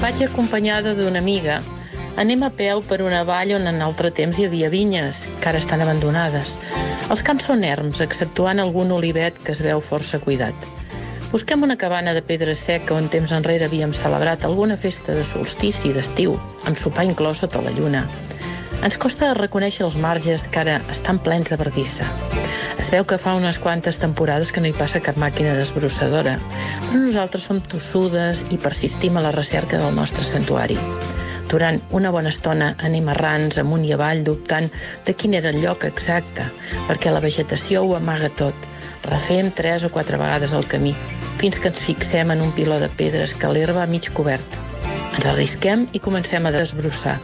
Vaig acompanyada d'una amiga. Anem a peu per una vall on en altre temps hi havia vinyes, que ara estan abandonades. Els camps són erms, exceptuant algun olivet que es veu força cuidat. Busquem una cabana de pedra seca on temps enrere havíem celebrat alguna festa de solstici d'estiu, amb sopar inclòs sota la lluna. Ens costa reconèixer els marges que ara estan plens de verdissa. Es veu que fa unes quantes temporades que no hi passa cap màquina desbrossadora, però nosaltres som tossudes i persistim a la recerca del nostre santuari. Durant una bona estona anem errants amunt i avall dubtant de quin era el lloc exacte, perquè la vegetació ho amaga tot. Refem 3 o 4 vegades el camí, fins que ens fixem en un piló de pedres que l'herba a mig cobert. Ens arrisquem i comencem a desbrossar.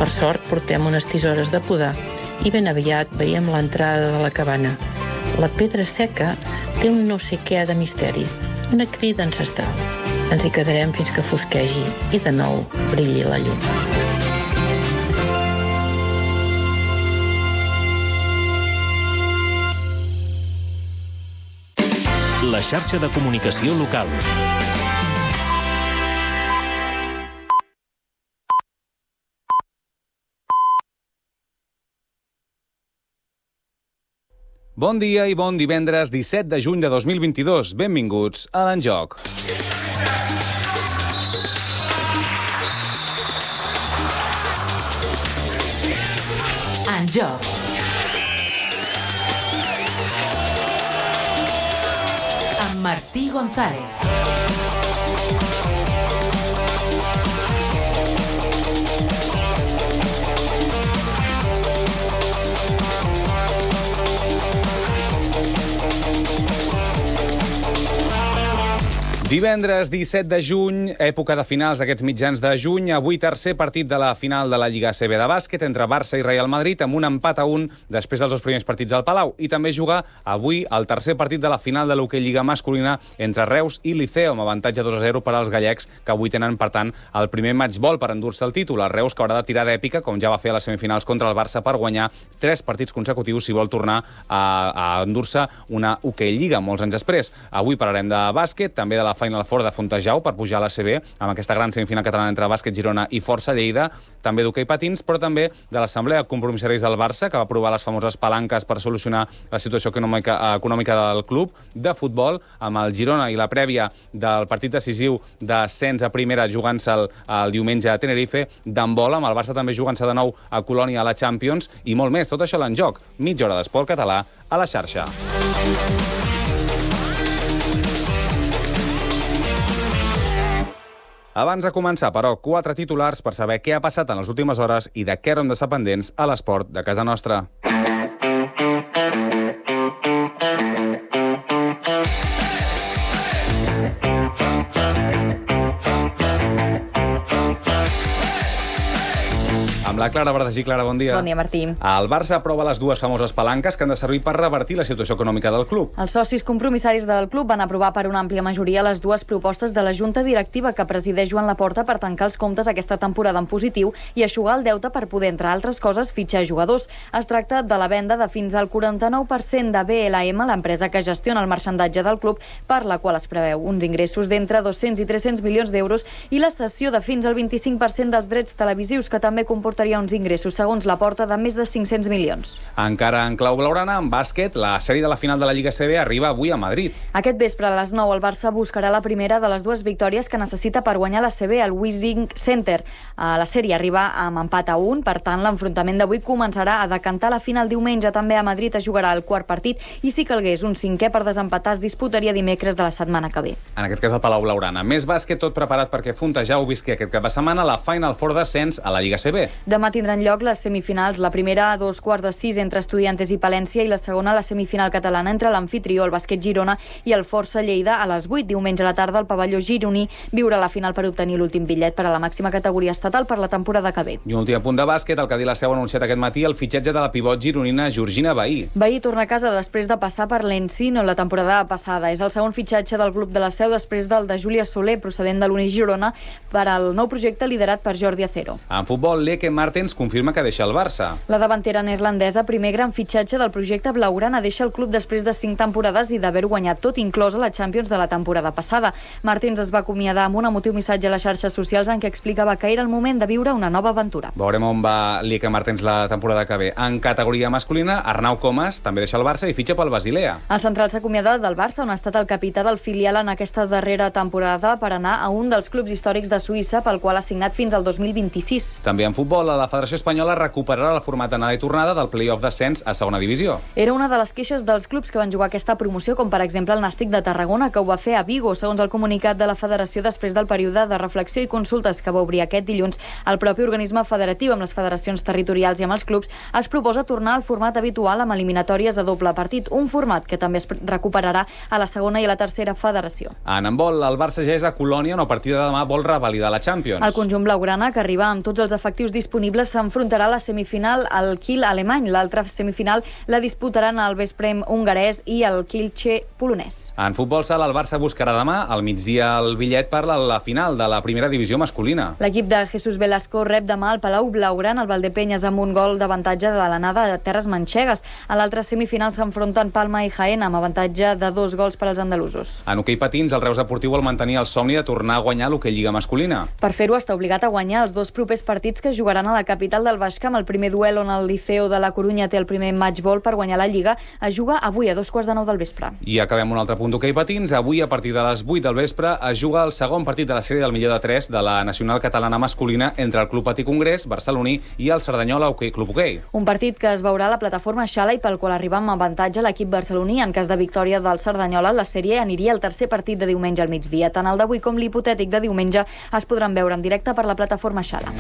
Per sort portem unes tisores de podar i ben aviat veiem l'entrada de la cabana. La pedra seca té un no sé què de misteri, una crida ancestral. Ens hi quedarem fins que fosquegi i de nou brilli la llum. La xarxa de comunicació local. Bon dia i bon divendres 17 de juny de 2022. Benvinguts a l'Enjoc. Enjoc. Amb Martí González. Divendres 17 de juny, època de finals d'aquests mitjans de juny, avui tercer partit de la final de la Lliga ACB de bàsquet entre Barça i Real Madrid amb un empat a 1 després dels dos primers partits al Palau. I també juga avui el tercer partit de la final de l'hoquei Lliga masculina entre Reus i Liceo, amb avantatge 2-0 per als gallecs, que avui tenen, per tant, el primer matchball per endur-se el títol. El Reus, que haurà de tirar d'èpica, com ja va fer a les semifinals contra el Barça, per guanyar 3 partits consecutius si vol tornar a endur-se una hoquei Lliga molts anys després. Avui parlarem de bàsquet, també de la Final Four de Fontejau per pujar a l'ACB, amb aquesta gran semifinal catalana entre Bàsquet Girona i Força Lleida, també d'hoquei patins, però també de l'Assemblea de Compromissaris del Barça, que va aprovar les famoses palanques per solucionar la situació econòmica del club, de futbol, amb el Girona i la prèvia del partit decisiu d'ascens a primera jugant-se el diumenge a Tenerife, d'handbol, amb el Barça també jugant-se de nou a Colònia a la Champions, i molt més. Tot això a l'Enjoc. Mitja hora d'esport català a la xarxa. Abans de començar, però, 4 titulars per saber què ha passat en les últimes hores i de què haurem d'estar pendents a l'esport de casa nostra. Amb la Clara Verdagí. Clara, bon dia. Bon dia, Martí. El Barça aprova les dues famoses palanques que han de servir per revertir la situació econòmica del club. Els socis compromissaris del club van aprovar per una àmplia majoria les dues propostes de la Junta Directiva que presideix Joan Laporta per tancar els comptes aquesta temporada en positiu i eixugar el deute per poder, entre altres coses, fitxar jugadors. Es tracta de la venda de fins al 49% de BLM, l'empresa que gestiona el marxandatge del club, per la qual es preveu uns ingressos d'entre 200 i 300 milions d'euros i la cessió de fins al 25% dels drets televisius, que també comportaria uns ingressos, segons Laporta, de més de 500 milions. Encara en clau blaugrana, en bàsquet, la sèrie de la final de la Lliga ACB arriba avui a Madrid. Aquest vespre a les 9 el Barça buscarà la primera de les dues victòries que necessita per guanyar l'ACB al Wissing Center. La sèrie arriba amb empat a 1, per tant l'enfrontament d'avui començarà a decantar la final diumenge. També a Madrid es jugarà el quart partit i si calgués un cinquè per desempatar es disputaria dimecres de la setmana que ve. En aquest cas el Palau Blaugrana. Més bàsquet, tot preparat perquè Fontejau visqui aquest cap de setmana la Final Four d'ascens a la Lliga ACB. Demà tindran lloc les semifinals, la primera a 2:45 entre Estudiantes i Palència i la segona la semifinal catalana entre l'amfitrió, el Bàsquet Girona, i el Força Lleida a les 8. Diumenge a la tarda el pavelló gironí viurà la final per obtenir l'últim bitllet per a la màxima categoria estatal per la temporada que ve. I un últim punt de bàsquet, el Cadí La Seu ha anunciat aquest matí el fitxatge de la pivot gironina Georgina Bahí. Bahí torna a casa després de passar per l'Encino la temporada passada. És el segon fitxatge del club de La Seu després del de Júlia Soler, procedent de l'Uni Girona, per al nou projecte liderat per Jordi Acero. En futbol, Lieke Martens confirma que deixa el Barça. La davantera neerlandesa, primer gran fitxatge del projecte blaugrana, deixa el club després de 5 temporades i d'haver guanyat tot, inclosa la Champions de la temporada passada. Martins es va acomiadar amb un emotiu missatge a les xarxes socials en què explicava que era el moment de viure una nova aventura. Veurem on va Lieke Martens la temporada que ve. En categoria masculina, Arnau Comas també deixa el Barça i fitxa pel Basilea. El central s'ha acomiadat del Barça, on ha estat el capità del filial en aquesta darrera temporada, per anar a un dels clubs històrics de Suïssa, pel qual ha signat fins al 2026. També en futbol, la Federació Espanyola recuperarà el format d'anada i tornada del play-off d'ascens a segona divisió. Era una de les queixes dels clubs que van jugar aquesta promoció, com per exemple el Nàstic de Tarragona, que ho va fer a Vigo, segons el comunicat de la Federació després del període de reflexió i consultes que va obrir aquest dilluns. El propi organisme federatiu amb les federacions territorials i amb els clubs es proposa tornar al format habitual amb eliminatòries de doble partit, un format que també es recuperarà a la segona i a la tercera federació. En handbol, el Barça ja és a Colònia, on a partir de demà vol revalidar la Champions. El conjunt blaugrana, que arriba amb tots els efectius disponibles disponibles s'enfrontarà a la semifinal al Kiel alemany. L'altra semifinal la disputaran el Veszprém hongarès i el Kielce polonès. En futbol sala, el Barça buscarà demà al migdia el bitllet per la final de la primera divisió masculina. L'equip de Jesús Velasco rep demà al Palau Blaugrana el Valdepeñas amb un gol d'avantatge de l'anada de terres manxegues. A l'altra semifinal s'enfronten Palma i Jaén amb avantatge de 2 gols per als andalusos. En hoquei patins, el Reus Deportiu vol mantenir el somni de tornar a guanyar l'hoquei lliga masculina. Per fer-ho està obligat a guanyar els 2 propers partits que es jugaran a la capital del Baix Camp. El primer duel on el Liceo de la Corunya té el primer matchball per guanyar la Lliga es juga avui a 2:15 del vespre. I acabem un altre punt d'hoquei patins. Avui, a partir de les 8 del vespre, es juga el segon partit de la sèrie del millor de 3 de la Nacional Catalana Masculina entre el Club Patí Congrés barceloní i el Cerdanyola Club Hoquei. Un partit que es veurà a la plataforma Xala i pel qual arriba amb avantatge l'equip barceloní. En cas de victòria del Cerdanyola, la sèrie aniria al tercer partit de diumenge al migdia. Tant el d'avui com l'hipotètic de diumenge es podran veure en directe per la plataforma Xala.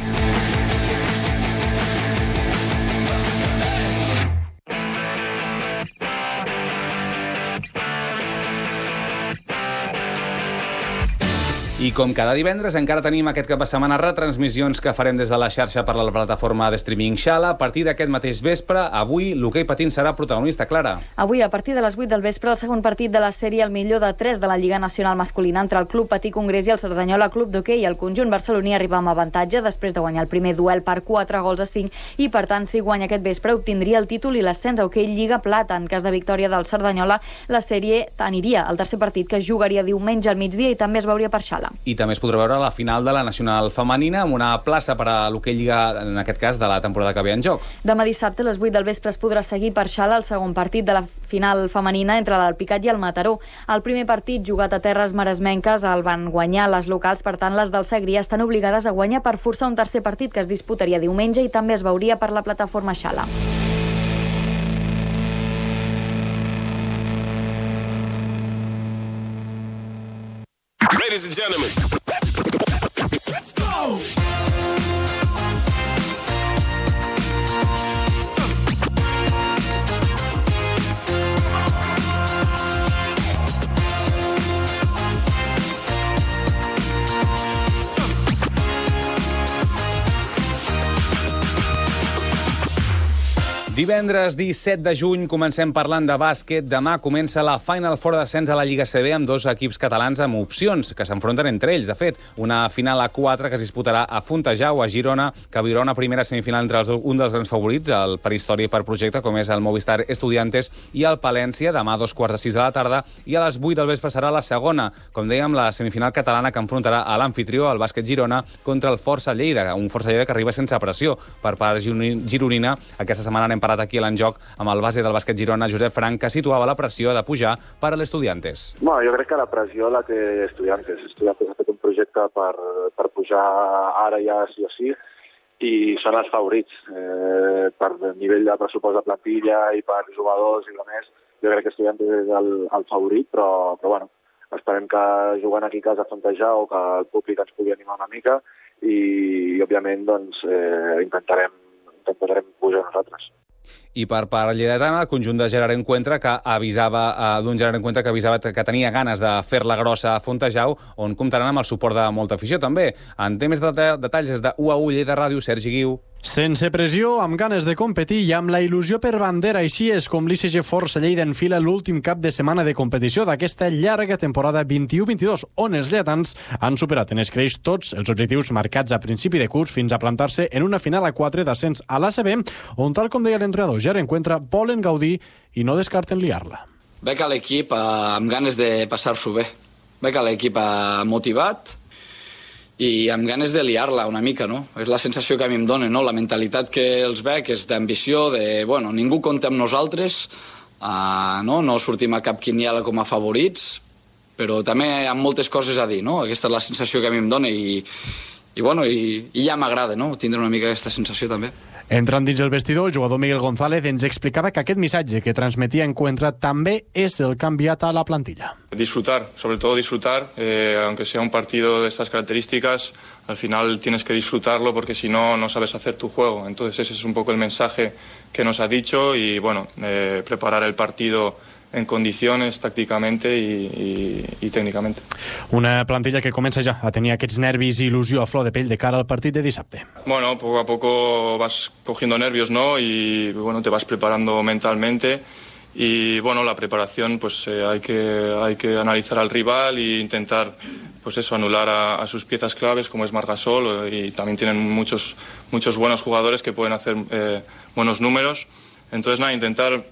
I com cada divendres, encara tenim aquest cap de setmana retransmissions que farem des de la xarxa per la plataforma de streaming Xala. A partir d'aquest mateix vespre, avui l'hoquei patins serà protagonista, Clara. Avui, a partir de les 8 del vespre, el segon partit de la sèrie el millor de 3 de la Lliga Nacional Masculina entre el Club Patí Congrés i el Cerdanyola Club d'Hoquei. El conjunt barceloní arriba amb avantatge després de guanyar el primer duel per 4-5 i, per tant, si guanya aquest vespre, obtindria el títol i l'ascens a Hoquei Lliga Plata. En cas de victòria del Cerdanyola, la sèrie aniria al tercer partit que es jugaria diumenge al migdia i també es veuria per Xala. I també es podrà veure la final de la Nacional Femenina amb una plaça per a l'hoquei lliga, en aquest cas, de la temporada que ve en joc. Demà dissabte, a les 8 del vespre, es podrà seguir per Xala el segon partit de la final femenina entre l'Alpicat i el Mataró. El primer partit, jugat a terres maresmenques, el van guanyar les locals, per tant, les del Segrià estan obligades a guanyar per forçar un tercer partit que es disputaria diumenge i també es veuria per la plataforma Xala. Ladies and gentlemen, let's go! Divendres 17 de juny comencem parlant de bàsquet. Demà comença la Final Four d'ascens a la Lliga CB amb 2 equips catalans amb opcions que s'enfronten entre ells. De fet, una final a 4 que es disputarà a Fontejau, a Girona, que viurà una primera semifinal entre un dels grans favorits, el per història i per projecte, com és el Movistar Estudiantes, i el Palència, demà a 2:15 de la tarda, i a les 8 del vespre serà la segona, com dèiem, la semifinal catalana que enfrontarà a l'amfitrió, el bàsquet Girona, contra el Força Lleida, un Força Lleida que arriba sense pressió per part gironina. Aquesta setmana anem parat aquí a l'enjoc amb el base del bàsquet Girona, Josep Frank, que situava la pressió de pujar per a l'Estudiantes. Bueno, jo crec que la pressió la té Estudiantes. Estudiantes ha fet un projecte per pujar ara ja sí o sí i són els favorits. Per nivell de pressupost de plantilla i per jugadors i més, jo crec que Estudiantes és el favorit, però bueno, esperem que jugant aquí a casa a Fontejau, que el públic ens pugui animar una mica i òbviament doncs, intentarem pujar nosaltres. I per part lleidatana, el conjunt de Gerard Encuentra que avisava que tenia ganes de fer-la grossa a Fontejau, on comptaran amb el suport de molta afició també. En té més detalls des de UAU Lleida Ràdio, Sergi Guiu. Sense pressió, amb ganes de competir i amb la il·lusió per bandera, així és com l'ICG Força Lleida enfila l'últim cap de setmana de competició d'aquesta llarga temporada 21-22, on els lleidatans han superat en escreix tots els objectius marcats a principi de curs fins a plantar-se en una final a 4 d'ascens a l'ACB, on, tal com deia l'entrenador Gerard Encuentra, volen gaudir i no descarten liar-la. Veig a l'equip amb ganes de passar-s'ho bé. Veig a l'equip motivat i amb ganes de liar-la una mica, no? És la sensació que a mi em dona, no? La mentalitat que els veig és d'ambició, bueno, ningú compta amb nosaltres, no sortim a cap quiniela com a favorits, però també amb moltes coses a dir, no? Aquesta és la sensació que a mi em dona i ja m'agrada, no? Tindre una mica aquesta sensació també. Entrant dins el vestidor, el jugador Miguel González ens explicava que aquest missatge que transmetia Encuentra també és el canviat a la plantilla. Disfrutar, sobre todo disfrutar, aunque sea un partido de estas características, al final tienes que disfrutarlo porque si no, no sabes hacer tu juego. Entonces ese es un poco el mensaje que nos ha dicho y bueno, preparar el partido en condiciones tácticamente y técnicamente. Una plantilla que comença ja a tenir aquests nervis i il·lusió a flor de pell de cara al partit de dissabte. Bueno, poco a poco vas cogiendo nervios, ¿no? Y bueno, te vas preparando mentalmente. Y bueno, la preparación, pues hay que analizar al rival e intentar, pues eso, anular a sus piezas claves, como es Marc Gasol, y también tienen muchos buenos jugadores que pueden hacer buenos números. Entonces, nada, intentar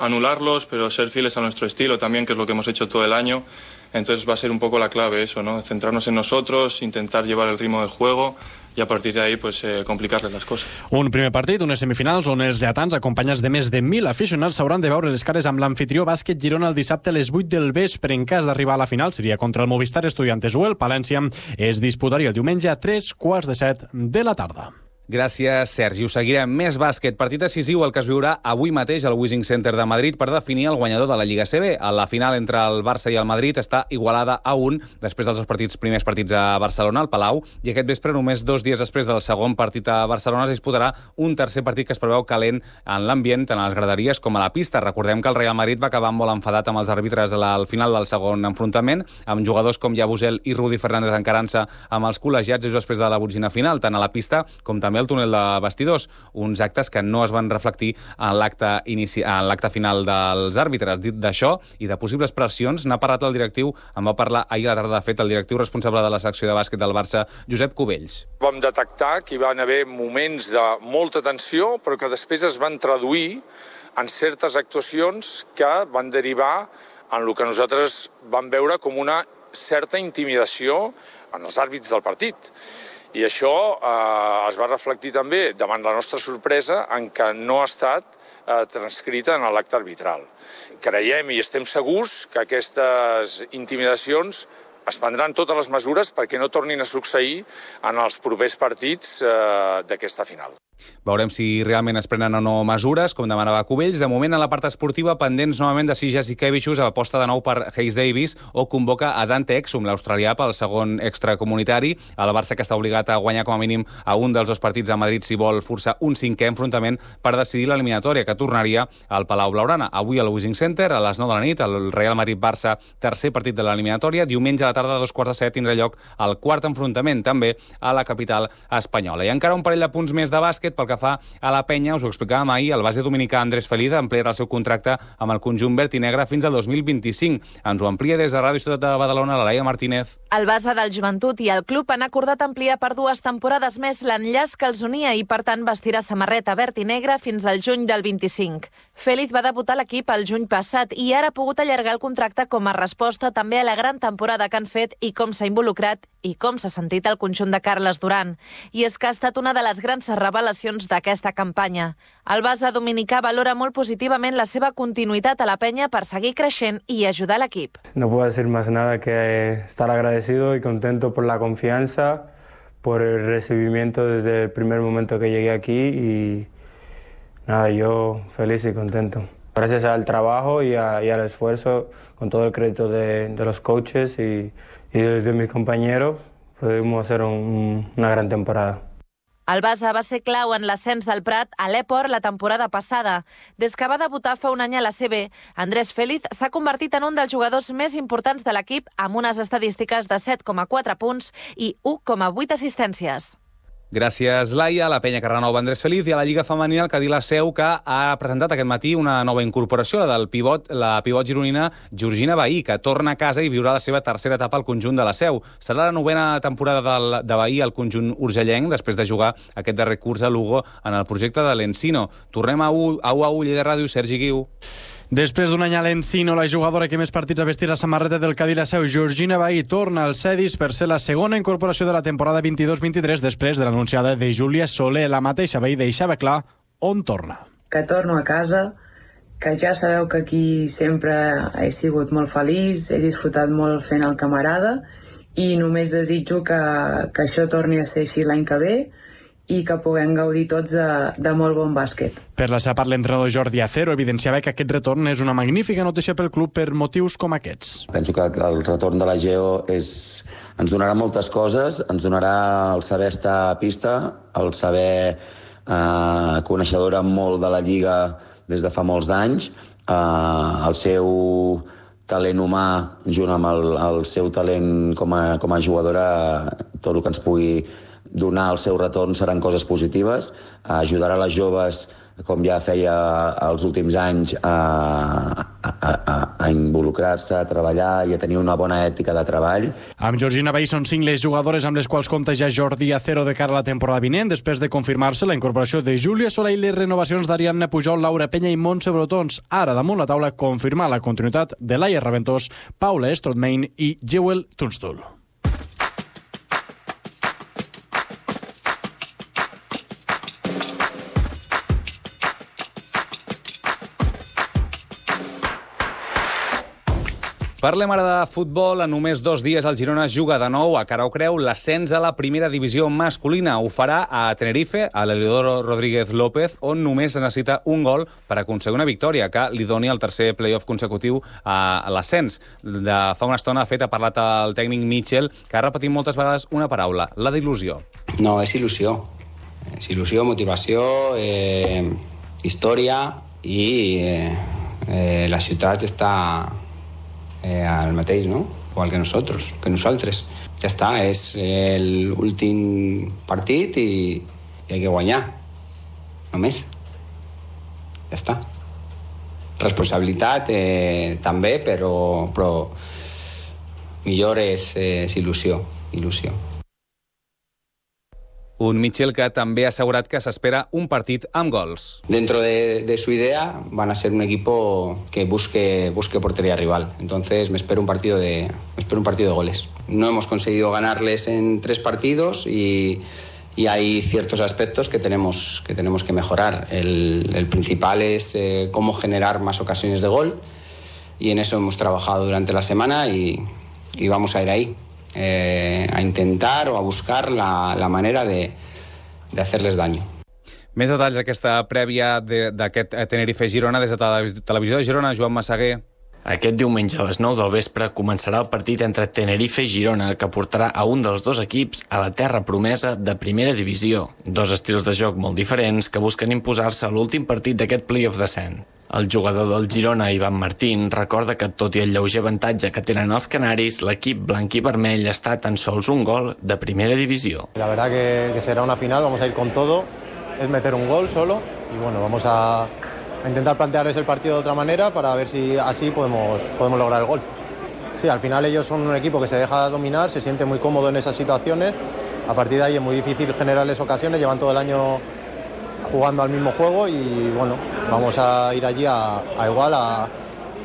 anularlos, pero ser fieles a nuestro estilo también, que es lo que hemos hecho todo el año. Entonces va a ser un poco la clave eso, ¿no? Centrarnos en nosotros, intentar llevar el ritmo del juego i a partir d'ahí pues, complicar-les les coses. Un primer partit, unes semifinals on els lletans, acompanyats de més de 1.000 aficionats, s'hauran de veure les cares amb l'anfitrió Bàsquet Girona el dissabte a les 8 del vespre. En cas d'arribar a la final seria contra el Movistar Estudiantes o el Palència. Es disputaria el diumenge a 3:15 de la tarda. Gràcies, Sergi. Us seguirem. Més bàsquet. Partit decisiu el que es viurà avui mateix al Wishing Center de Madrid per definir el guanyador de la Lliga CB. La final entre el Barça i el Madrid està igualada a 1 després dels primers partits a Barcelona, al Palau, i aquest vespre, només 2 dies després del segon partit a Barcelona, es disputarà un tercer partit que es preveu calent en l'ambient, tant a les graderies com a la pista. Recordem que el Real Madrid va acabar molt enfadat amb els àrbitres al final del segon enfrontament, amb jugadors com Yabusel i Rudy Fernández encarant-se amb els col·legiats just després de la botzina final, tant a la pista com també al túnel de vestidors, uns actes que no es van reflectir en l'acte final dels àrbitres. Dit d'això i de possibles pressions, n'ha parlat el directiu, en va parlar ahir a la tarda, de fet, el directiu responsable de la secció de bàsquet del Barça, Josep Cubells. Vam detectar que hi van haver moments de molta tensió, però que després es van traduir en certes actuacions que van derivar en el que nosaltres vam veure com una certa intimidació en els àrbits del partit. I això es va reflectir també, davant la nostra sorpresa, en que no ha estat transcrita en l'acte arbitral. Creiem i estem segurs que aquestes intimidacions es prendran totes les mesures perquè no tornin a succeir en els propers partits d'aquesta final. Veurem si realment es prenen o no mesures, com demanava Cubells. De moment, a la part esportiva, pendents novament de si Jasikevičius aposta de nou per Hayes Davis o convoca a Dante Exum, l'australià, pel segon extracomunitari. El Barça, que està obligat a guanyar com a mínim a un dels 2 partits a Madrid si vol forçar un 5è enfrontament per decidir l'eliminatòria, que tornaria al Palau Blaugrana. Avui al Wishing Center, a les 9 de la nit, el Real Madrid-Barça, tercer partit de l'eliminatòria. Diumenge a la tarda, a 2:15, tindrà lloc el quart enfrontament, també a la capital espanyola. I encara un parell de punts més de bàsquet pel que fa a la penya. Us ho explicàvem ahir, el base dominicà Andrés Feliz ampliarà el seu contracte amb el conjunt verd i negre fins al 2025. Ens ho amplia des de Ràdio Ciutat de Badalona la Laia Martínez. El base del Joventut i el club han acordat ampliar per 2 temporades més l'enllaç que els unia i, per tant, vestirà samarreta verd i negre fins al juny del 25. Feliz va debutar a l'equip el juny passat i ara ha pogut allargar el contracte com a resposta també a la gran temporada que han fet i com s'ha involucrat i com s'ha sentit el conjunt de Carles Duran. I és que ha estat una de les grans revelacions d'aquesta campanya. El base dominicà valora molt positivament la seva continuïtat a la penya per seguir creixent i ajudar l'equip. No puedo decir más nada que estar agradecido y contento por la confianza, por el recibimiento desde el primer momento que llegué aquí y nada, yo feliz y contento. Gracias al trabajo y al esfuerzo, con todo el crédito de los coaches y de mis compañeros, pudimos hacer una gran temporada. El base va ser clau en l'ascens del Prat a l'Eport la temporada passada. Des que va debutar fa un any a la CB, Andrés Feliz s'ha convertit en un dels jugadors més importants de l'equip amb unes estadístiques de 7,4 punts i 1,8 assistències. Gràcies, Laia. La penya que renova Andrés Feliz i a la Lliga Femenina el Cadí La Seu, que ha presentat aquest matí una nova incorporació, la del la pivot gironina Georgina Bahí, que torna a casa i viurà la seva tercera etapa al conjunt de La Seu. Serà la 9ª temporada de Bahí al conjunt urgellenc, després de jugar aquest darrer curs a Lugo en el projecte de l'Encino. Tornem a U Lleida Ràdio, Sergi Guiu. Després d'un any a l'Encino, la jugadora que més partits ha vestit la samarreta del Cadí La Seu, Georgina Bahí, torna al Cedis per ser la segona incorporació de la temporada 22-23 després de l'anunciada de Júlia Soler. La mateixa Bahí deixava clar on torna. Que torno a casa, que ja sabeu que aquí sempre he sigut molt feliç, he disfrutat molt fent el camarada i només desitjo que això torni a ser així l'any que ve i que puguem gaudir tots de molt bon bàsquet. Per la seva part, l'entrenador Jordi Acero evidenciava que aquest retorn és una magnífica notícia pel club per motius com aquests. Penso que el retorn de la Geo ens donarà moltes coses, ens donarà el saber estar a pista, el saber coneixedora molt de la Lliga des de fa molts d'anys. El seu talent humà, junt amb el seu talent com a jugadora, tot el que ens pugui donar el seu retorn seran coses positives. Ajudarà les joves, com ja feia els últims anys, a involucrar-se, a treballar i a tenir una bona ètica de treball. Amb Georgina Vehí són 5 les jugadores amb les quals compta ja Jordi Acero de cara a la temporada vinent, després de confirmar-se la incorporació de Júlia Solà i les renovacions d'Ariadna Pujol, Laura Penya i Montse Brotons. Ara damunt la taula confirmar la continuïtat de Laia Raventós, Paula Strootmain i Jewel Tunstall. Parlem ara de futbol. En només 2 dies el Girona juga de nou a cara o creu l'ascens a la primera divisió masculina. Ho farà a Tenerife, a l'Heliodoro Rodríguez López, on només es necessita un gol per aconseguir una victòria que li doni el tercer playoff consecutiu a l'ascens. Fa una estona, ha parlat el tècnic Mitchell, que ha repetit moltes vegades una paraula, la d'il·lusió. No, és il·lusió. És il·lusió, motivació, història i la ciutat està al mateix, no? Igual que nosaltres. Ja està, és l'últim partit i hay que guanyar. Només. Ja està. Responsabilitat també, però millor és il·lusió. Un Mitchell que també ha assegurat que s'espera un partit amb gols. Dentro de su idea van a ser un equipo que busque portería rival. Entonces me espero un partido de goles. No hemos conseguido ganarles en 3 partidos y hay ciertos aspectos que tenemos que mejorar. El principal es cómo generar más ocasiones de gol y en eso hemos trabajado durante la semana y vamos a ir ahí. A intentar o a buscar la manera de hacerles daño. Més detalls d'aquesta prèvia d'aquest Tenerife-Girona des de Televisió de Girona, Joan Massaguer. Aquest diumenge a les 9 del vespre començarà el partit entre Tenerife i Girona, que portarà a un dels 2 equips a la terra promesa de primera divisió. 2 estils de joc molt diferents que busquen imposar-se a l'últim partit d'aquest play-off descent. El jugador del Girona, Ivan Martín, recorda que tot i el lleuger avantatge que tenen els canaris, l'equip blanc i vermell està tan sols un gol de primera divisió. La verdad que será una final, vamos a ir con todo, es meter un gol solo y bueno, vamos a intentar plantearles el partido de otra manera para ver si así podemos lograr el gol. Sí, al final ellos son un equipo que se deja dominar, se siente muy cómodo en esas situaciones, a partir de ahí es muy difícil generarles ocasiones, llevan todo el año jugando al mismo juego y bueno, vamos a ir allí a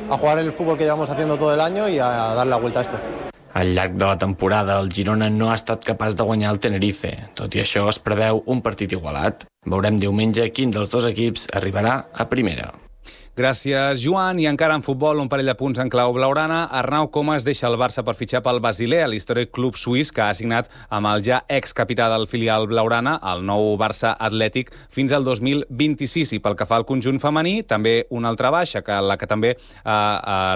jugar el fútbol que llevamos haciendo todo el año y a dar la vuelta a esto. Al llarg de la temporada, el Girona no ha estat capaç de guanyar el Tenerife. Tot i això, es preveu un partit igualat. Veurem diumenge quin dels 2 equips arribarà a primera. Gràcies, Joan. I encara en futbol, un parell de punts en clau blaugrana. Arnau Comas deixa el Barça per fitxar pel Basilea, l'històric club suís que ha signat amb el ja excapità del filial blaugrana, el nou Barça Atlètic, fins al 2026. I pel que fa al conjunt femení, també una altra baixa, la que també,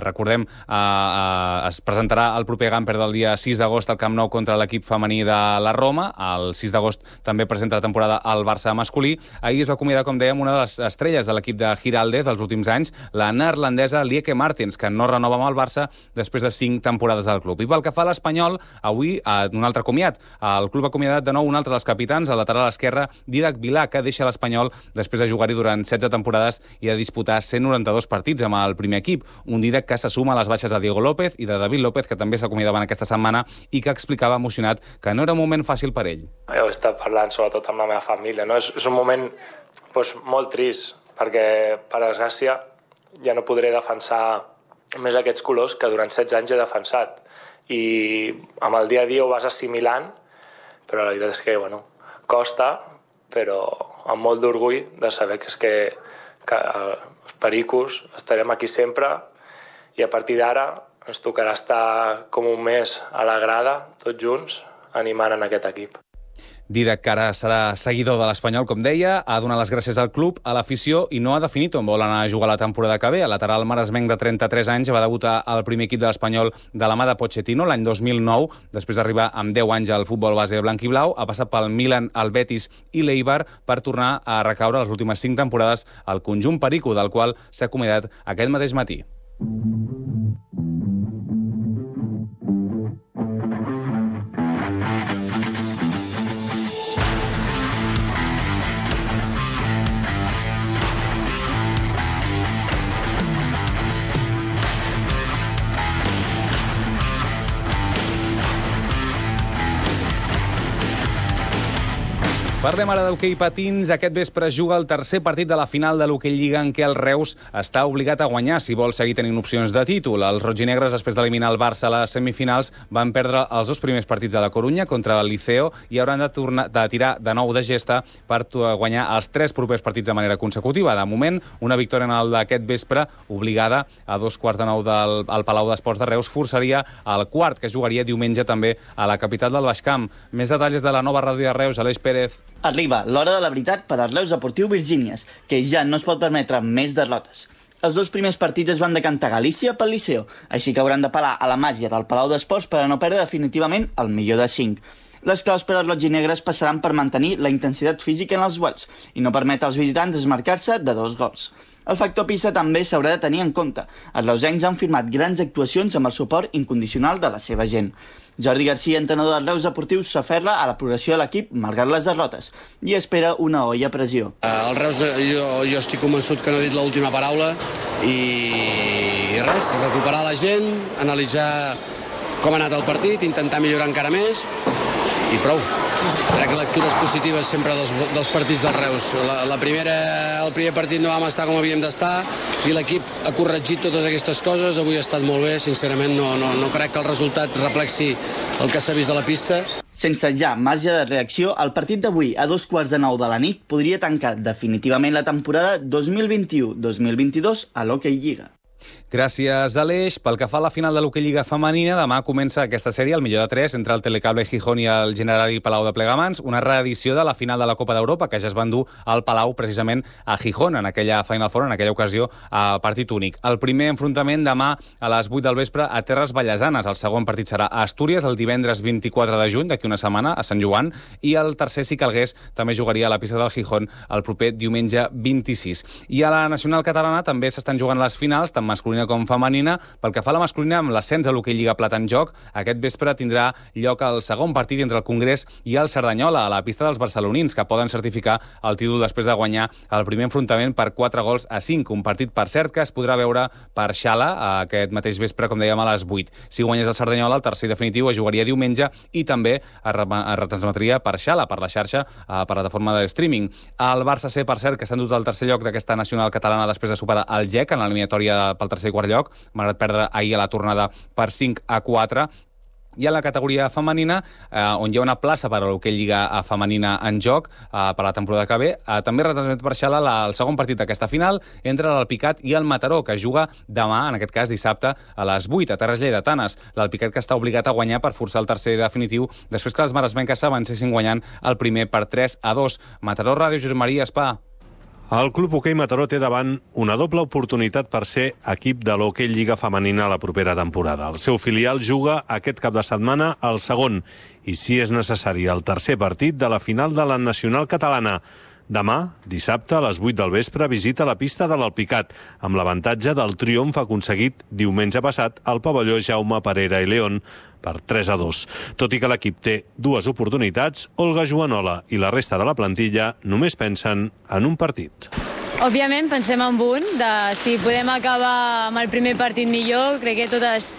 recordem, es presentarà el proper Gamper del dia 6 d'agost al Camp Nou contra l'equip femení de la Roma. El 6 d'agost també presenta la temporada al Barça masculí. Ahir es va acomiadar, com dèiem, una de les estrelles de l'equip de Giraldez dels últims anys, la neerlandesa Lieke Martens, que no renova amb el Barça després de 5 temporades al club. I pel que fa a l'Espanyol, avui un altre comiat. El club ha acomiadat de nou un altre dels capitans, el lateral esquerre Dídac Vilà, que deixa l'Espanyol després de jugar-hi durant 16 temporades i de disputar 192 partits amb el primer equip. Un Dídac que se suma a les baixes de Diego López i de David López, que també s'acomiadaven aquesta setmana i que explicava emocionat que no era un moment fàcil per ell. He estat parlant sobretot amb la meva família, no? És un moment molt trist, perquè, per desgràcia, ja no podré defensar més aquests colors que durant 16 anys he defensat. I amb el dia a dia ho vas assimilant, però la veritat és que, costa, però amb molt d'orgull de saber que els pericos estarem aquí sempre i a partir d'ara ens tocarà estar com un mes a la grada, tots junts, animant en aquest equip. Didac, que ara serà seguidor de l'Espanyol, com deia, ha donat les gràcies al club, a l'afició, i no ha definit on vol anar a jugar la temporada que ve. El lateral maresmenc de 33 anys va debutar al primer equip de l'Espanyol de la mà de Pochettino l'any 2009, després d'arribar amb 10 anys al futbol base blanc i blau. Ha passat pel Milan, el Betis i l'Eibar per tornar a recaure les últimes 5 temporades al conjunt perico, del qual s'ha acomiadat aquest mateix matí. Parlem ara d'hoquei patins. Aquest vespre es juga el tercer partit de la final de l'Hoquei Lliga, en què el Reus està obligat a guanyar si vol seguir tenint opcions de títol. Els rojinegres, després d'eliminar el Barça a les semifinals, van perdre els 2 primers partits de la Corunya contra el Liceo i hauran de tirar de nou de gesta per guanyar els 3 propers partits de manera consecutiva. De moment, una victòria en el d'aquest vespre, obligada a 8:45 al Palau d'Esports de Reus, forçaria el quart, que jugaria diumenge també a la capital del Baix Camp. Més detalls de la nova ràdio de Reus, Aleix Pérez. Arriba l'hora de la veritat per al Reus Deportiu Virgínies, que ja no es pot permetre més derrotes. Els 2 primers partits es van decantar a Galícia pel Liceu, així que hauran d'apel·lar a la màgia del Palau d'Esports per a no perdre definitivament el millor de 5. Les claus per als rojinegres passaran per mantenir la intensitat física en els duels i no permetre als visitants desmarcar-se de 2 gols. El factor pista també s'haurà de tenir en compte. Els reusencs han firmat grans actuacions amb el suport incondicional de la seva gent. Jordi Garcia, entrenador del Reus Deportiu, s'aferra a la progressió de l'equip malgrat les derrotes i espera una olla a pressió. El Reus, jo estic convençut que no he dit l'última paraula i res, recuperar la gent, analitzar com ha anat el partit, intentar millorar encara més i prou. Crec que lectures positives sempre dels partits del Reus. El primer partit no vam estar com havíem d'estar i l'equip ha corregit totes aquestes coses. Avui ha estat molt bé, sincerament no crec que el resultat reflexi el que s'ha vist a la pista. Sense ja marge de reacció, el partit d'avui a 8:45 de la nit podria tancar definitivament la temporada 2021-2022 a l'Hoquei Lliga. Gràcies, Aleix. Pel que fa a la final de l'Hoquei Lliga femenina, demà comença aquesta sèrie, el millor de 3, entre el Telecable Gijón i el Generali Palau de Plegamans, una reedició de la final de la Copa d'Europa, que ja es va endur al Palau precisament a Gijón, en aquella Final Four, en aquella ocasió, a partit únic. El primer enfrontament demà a les 8 del vespre a Terres Vallesanes. El segon partit serà a Astúries, el divendres 24 de juny, d'aquí una setmana, a Sant Joan, i el tercer, si calgués, també jugaria a la pista del Gijón el proper diumenge 26. I a la nacional catalana també s'estan jugant les finals, tant masculina com femenina. Pel que fa a la masculina, amb l'ascens a l'Hoquei Lliga Plata en joc, aquest vespre tindrà lloc el segon partit entre el Congrés i el Cerdanyola, a la pista dels barcelonins, que poden certificar el títol després de guanyar el primer enfrontament per 4-5. Un partit, per cert, que es podrà veure per Xala aquest mateix vespre, com dèiem, a les 8. Si guanyés el Cerdanyola, el tercer definitiu es jugaria diumenge i també es retransmetria per Xala, per la xarxa, per plataforma de streaming. El Barça C, per cert, que s'ha endut al tercer lloc d'aquesta nacional catalana després de superar el GEC en l'eliminatòria pel tercer i quart lloc, malgrat perdre ahir a la tornada per 5-4. I a la categoria femenina, on hi ha una plaça per a l'Hoquei Lliga femenina en joc per la temporada que ve, també retransmet per Xala el segon partit d'aquesta final entre l'Alpicat i el Mataró, que juga demà, en aquest cas dissabte, a les 8, a Terres Lleidatanes. L'Alpicat, que està obligat a guanyar per forçar el tercer definitiu després que les maresmenques s'avancessin guanyant el primer per 3-2. Mataró Ràdio, Josep Maria Espà. El Club Hoquei Mataró té davant una doble oportunitat per ser equip de l'Hoquei Lliga femenina la propera temporada. El seu filial juga aquest cap de setmana al segon i, si és necessari, el tercer partit de la final de la Nacional Catalana. Demà, dissabte, a les 8 del vespre, visita la pista de l'Alpicat, amb l'avantatge del triomf aconseguit diumenge passat al pavelló Jaume Parera i León per 3-2. Tot i que l'equip té 2 oportunitats, Olga Joanola i la resta de la plantilla només pensen en un partit. Òbviament pensem en un, si podem acabar amb el primer partit millor. Crec que totes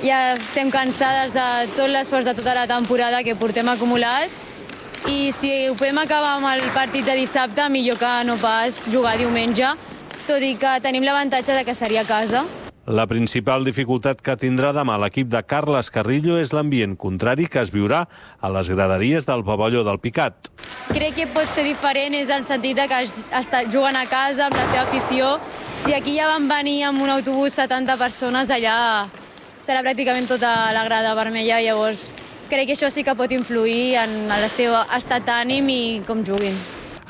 ja estem cansades de tot l'esforç de tota la temporada que portem acumulat, i si ho podem acabar amb el partit de dissabte, millor que no pas jugar diumenge, tot i que tenim l'avantatge de que seria a casa. La principal dificultat que tindrà demà l'equip de Carles Carrillo és l'ambient contrari que es viurà a les graderies del pavelló del Picat. Crec que pot ser diferent, és el sentit que juguen a casa amb la seva afició. Si aquí ja van venir amb un autobús 70 persones, allà serà pràcticament tota la grada vermella, llavors crec que això sí que pot influir en el seu estat d'ànim i com juguin.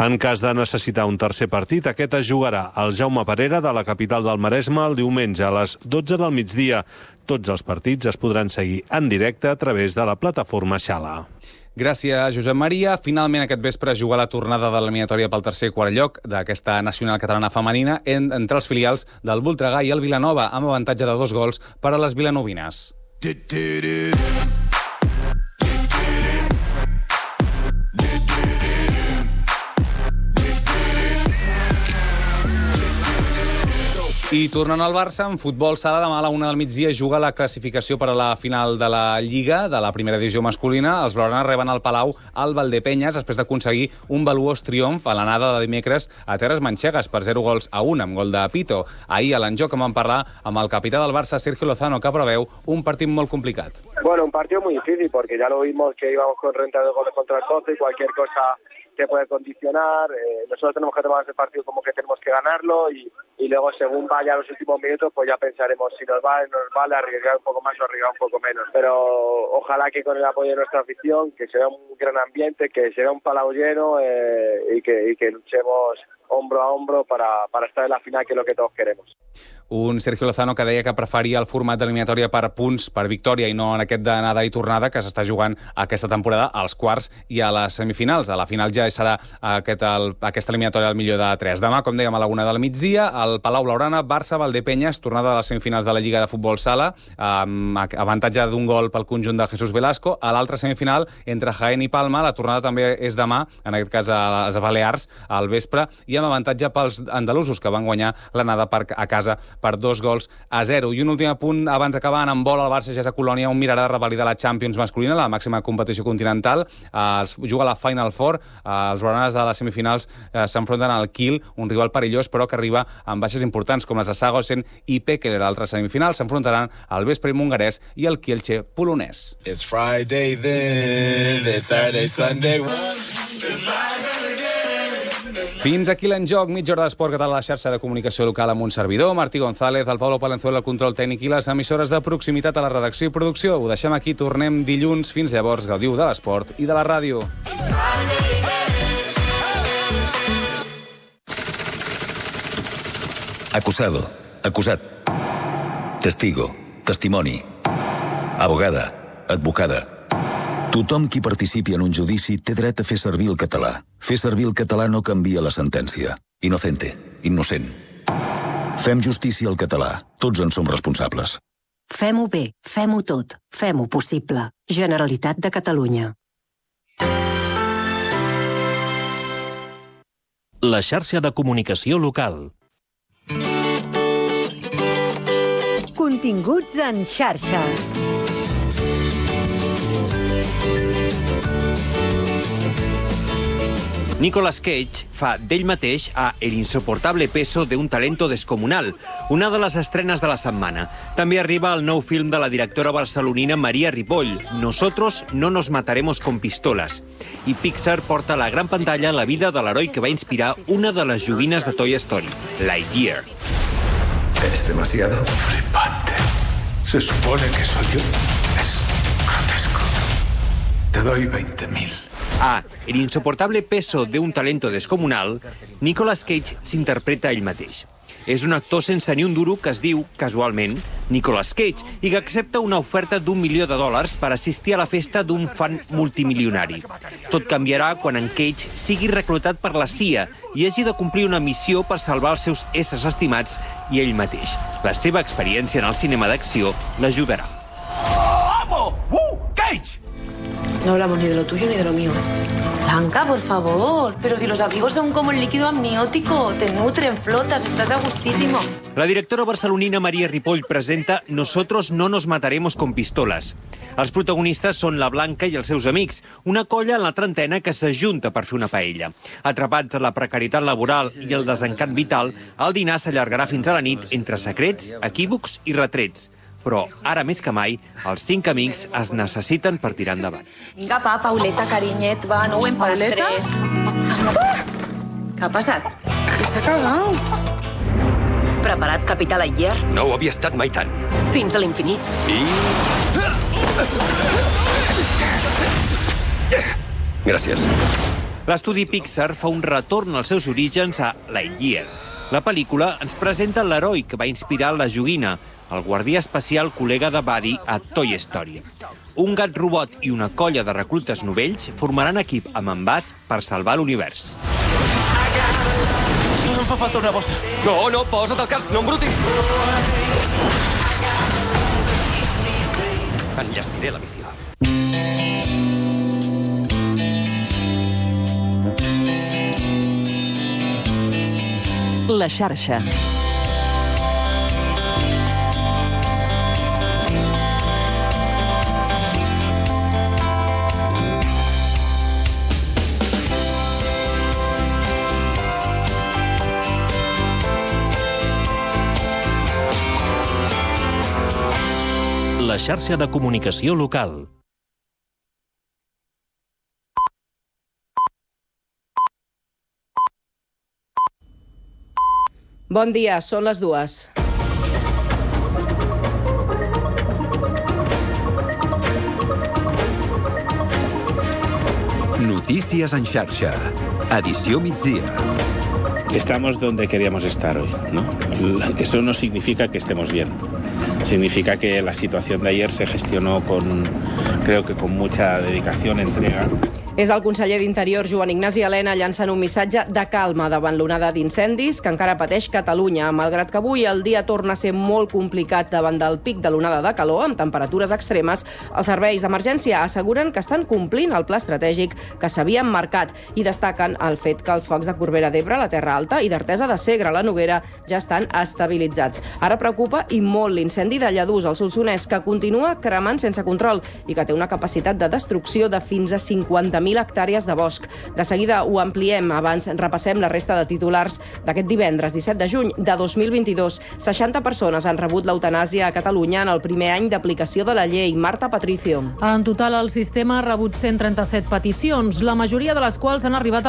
En cas de necessitar un tercer partit, aquest es jugarà al Jaume Perera de la capital del Maresme el diumenge a les 12 del migdia. Tots els partits es podran seguir en directe a través de la plataforma Xala. Gràcies, Josep Maria. Finalment, aquest vespre es juga la tornada de l'eliminatòria pel tercer i quart lloc d'aquesta nacional catalana femenina entre els filials del Voltregà i el Vilanova, amb avantatge de 2 gols per a les vilanovines. I tornant al Barça, en futbol sala, demà a la 1 del migdia juga la classificació per a la final de la Lliga, de la primera divisió masculina. Els blaugranes reben al Palau el Valdepenyes després d'aconseguir un valuós triomf a l'anada de dimecres a terres manxegues per 0-1 amb gol de Pito. Ahir a l'enjoc vam parlar amb el capità del Barça, Sergio Lozano, que preveu un partit molt complicat. Bueno, un partido muy difícil porque ya lo vimos que íbamos con renta de goles contra el Coce y cualquier cosa te puede condicionar. Nosotros tenemos que tomar ese partido como que tenemos que ganarlo y luego según vaya los últimos minutos pues ya pensaremos si nos vale arriesgar un poco más o arriesgar un poco menos. Pero ojalá que con el apoyo de nuestra afición, que sea un gran ambiente, que sea un Palau lleno y que luchemos hombro a hombro para estar en la final, que es lo que todos queremos. Un Sergio Lozano que deia que preferia el format d'eliminatòria per punts, per victòria, i no en aquest d'anada i tornada que s'està jugant aquesta temporada als quarts i a les semifinals. A la final ja serà aquesta eliminatòria del millor de 3. Demà, com dèiem, a la 1 del migdia, al Palau Blaugrana, Barça, Valdepenyes, tornada a les semifinals de la Lliga de Futbol Sala, amb avantatge d'un gol pel conjunt de Jesús Velasco. A l'altra semifinal, entre Jaén i Palma, la tornada també és demà, en aquest cas a les Balears, al vespre, i amb avantatge pels andalusos, que van guanyar l'anada a casa per 2-0. I un últim apunt, abans d'acabar, en vol el Barça ja a Colònia, on mirarà de revalidar la Champions masculina, la màxima competició continental. Es juga a la Final Four. Els blaugranes a les semifinals s'enfronten al Kiel, un rival perillós, però que arriba amb baixes importants, com les de Sagosen i Pekele. L'altra semifinal s'enfrontaran al Vespre hongarès i el Kielce polonès. It's Friday then, it's Saturday, Sunday. Fins aquí l'enjoc, mitja hora d'esport català a la xarxa de comunicació local amb un servidor, Martí González, el Pablo Palenzuela, el control tècnic i les emissores de proximitat a la redacció i producció. Ho deixem aquí, tornem dilluns. Fins llavors, gaudiu de l'esport i de la ràdio. Acusado, acusat. Testigo, testimoni. Abogada, advocada. Tothom qui participi en un judici té dret a fer servir el català. Fer servir el català no canvia la sentència. Inocente, innocent. Fem justícia al català. Tots en som responsables. Fem-ho bé, fem-ho tot, fem-ho possible. Generalitat de Catalunya. La xarxa de comunicació local. Continguts en xarxa. Nicolas Cage fa d'ell mateix a El insoportable peso de un talento descomunal, una de les estrenes de la setmana. També arriba el nou film de la directora barcelonina Maria Ripoll, Nosotros no nos mataremos con pistolas. I Pixar porta a la gran pantalla la vida de l'heroi que va inspirar una de les joguines de Toy Story, Lightyear. Es demasiado flipante. Se supone que soy yo. Es grotesco. Te doy 20.000. A El insoportable peso de un talento descomunal, Nicolas Cage s'interpreta ell mateix. És un actor sense ni un duro que es diu, casualment, Nicolas Cage i que accepta una oferta $1 milió per assistir a la festa d'un fan multimilionari. Tot canviarà quan en Cage sigui reclutat per la CIA i hagi de complir una missió per salvar els seus éssers estimats i ell mateix. La seva experiència en el cinema d'acció l'ajudarà. ¡Amo! ¡Cage! No hablamos ni de lo tuyo ni de lo mío. Blanca, por favor. Pero si los amigos son como el líquido amniótico. Te nutren, flotas, estás a gustísimo. La directora barcelonina Maria Ripoll presenta Nosotros no nos mataremos con pistolas. Els protagonistes són la Blanca i els seus amics, una colla en la trentena que s'ajunta per fer una paella. Atrapats a la precarietat laboral i el desencant vital, el dinar s'allargarà fins a la nit entre secrets, equívocs i retrets. Però, ara més que mai, els 5 amics es necessiten per tirar endavant. Vinga, pa, Pauleta, carinyet, va, no ho empastres. Què ha passat? Que s'ha cagat. Preparat, capità Lightyear? No ho havia estat mai tant. Fins a l'infinit. I... Gràcies. L'estudi Pixar fa un retorn als seus orígens a Lightyear. La pel·lícula ens presenta l'heroi que va inspirar la joguina, el guardià espacial col·lega de Buddy a Toy Story. Un gat robot i una colla de reclutes novells formaran equip amb en Buzz per salvar l'univers. Em fa falta una bossa. No, posa't el casc, no embrutis. Enllestiré la missió. La xarxa. La xarxa de comunicació local. Bon dia, són les 2. Notícies en xarxa. Edició migdia. Estamos donde queríamos estar hoy, ¿no? Eso no significa que estemos bien. Significa que la situación de ayer se gestionó creo que con mucha dedicación, entrega. És el conseller d'Interior, Joan Ignasi Elena, llançant un missatge de calma davant l'onada d'incendis que encara pateix Catalunya, malgrat que avui el dia torna a ser molt complicat davant del pic de l'onada de calor, amb temperatures extremes. Els serveis d'emergència asseguren que estan complint el pla estratègic que s'havien marcat i destaquen el fet que els focs de Corbera d'Ebre, la Terra Alta i d'Artesa de Segre, la Noguera, ja estan estabilitzats. Ara preocupa i molt l'incendi de Lladús, al Solsonès, que continua cremant sense control i que té una capacitat de destrucció de fins a 50.000 hectàrees de bosc. De seguida ho ampliem. Abans repassem la resta de titulars d'aquest divendres 17 de juny de 2022. 60 persones han rebut l'eutanàsia a Catalunya en el primer any d'aplicació de la llei. Marta Patricio. En total, el sistema ha rebut 137 peticions, la majoria de les quals han arribat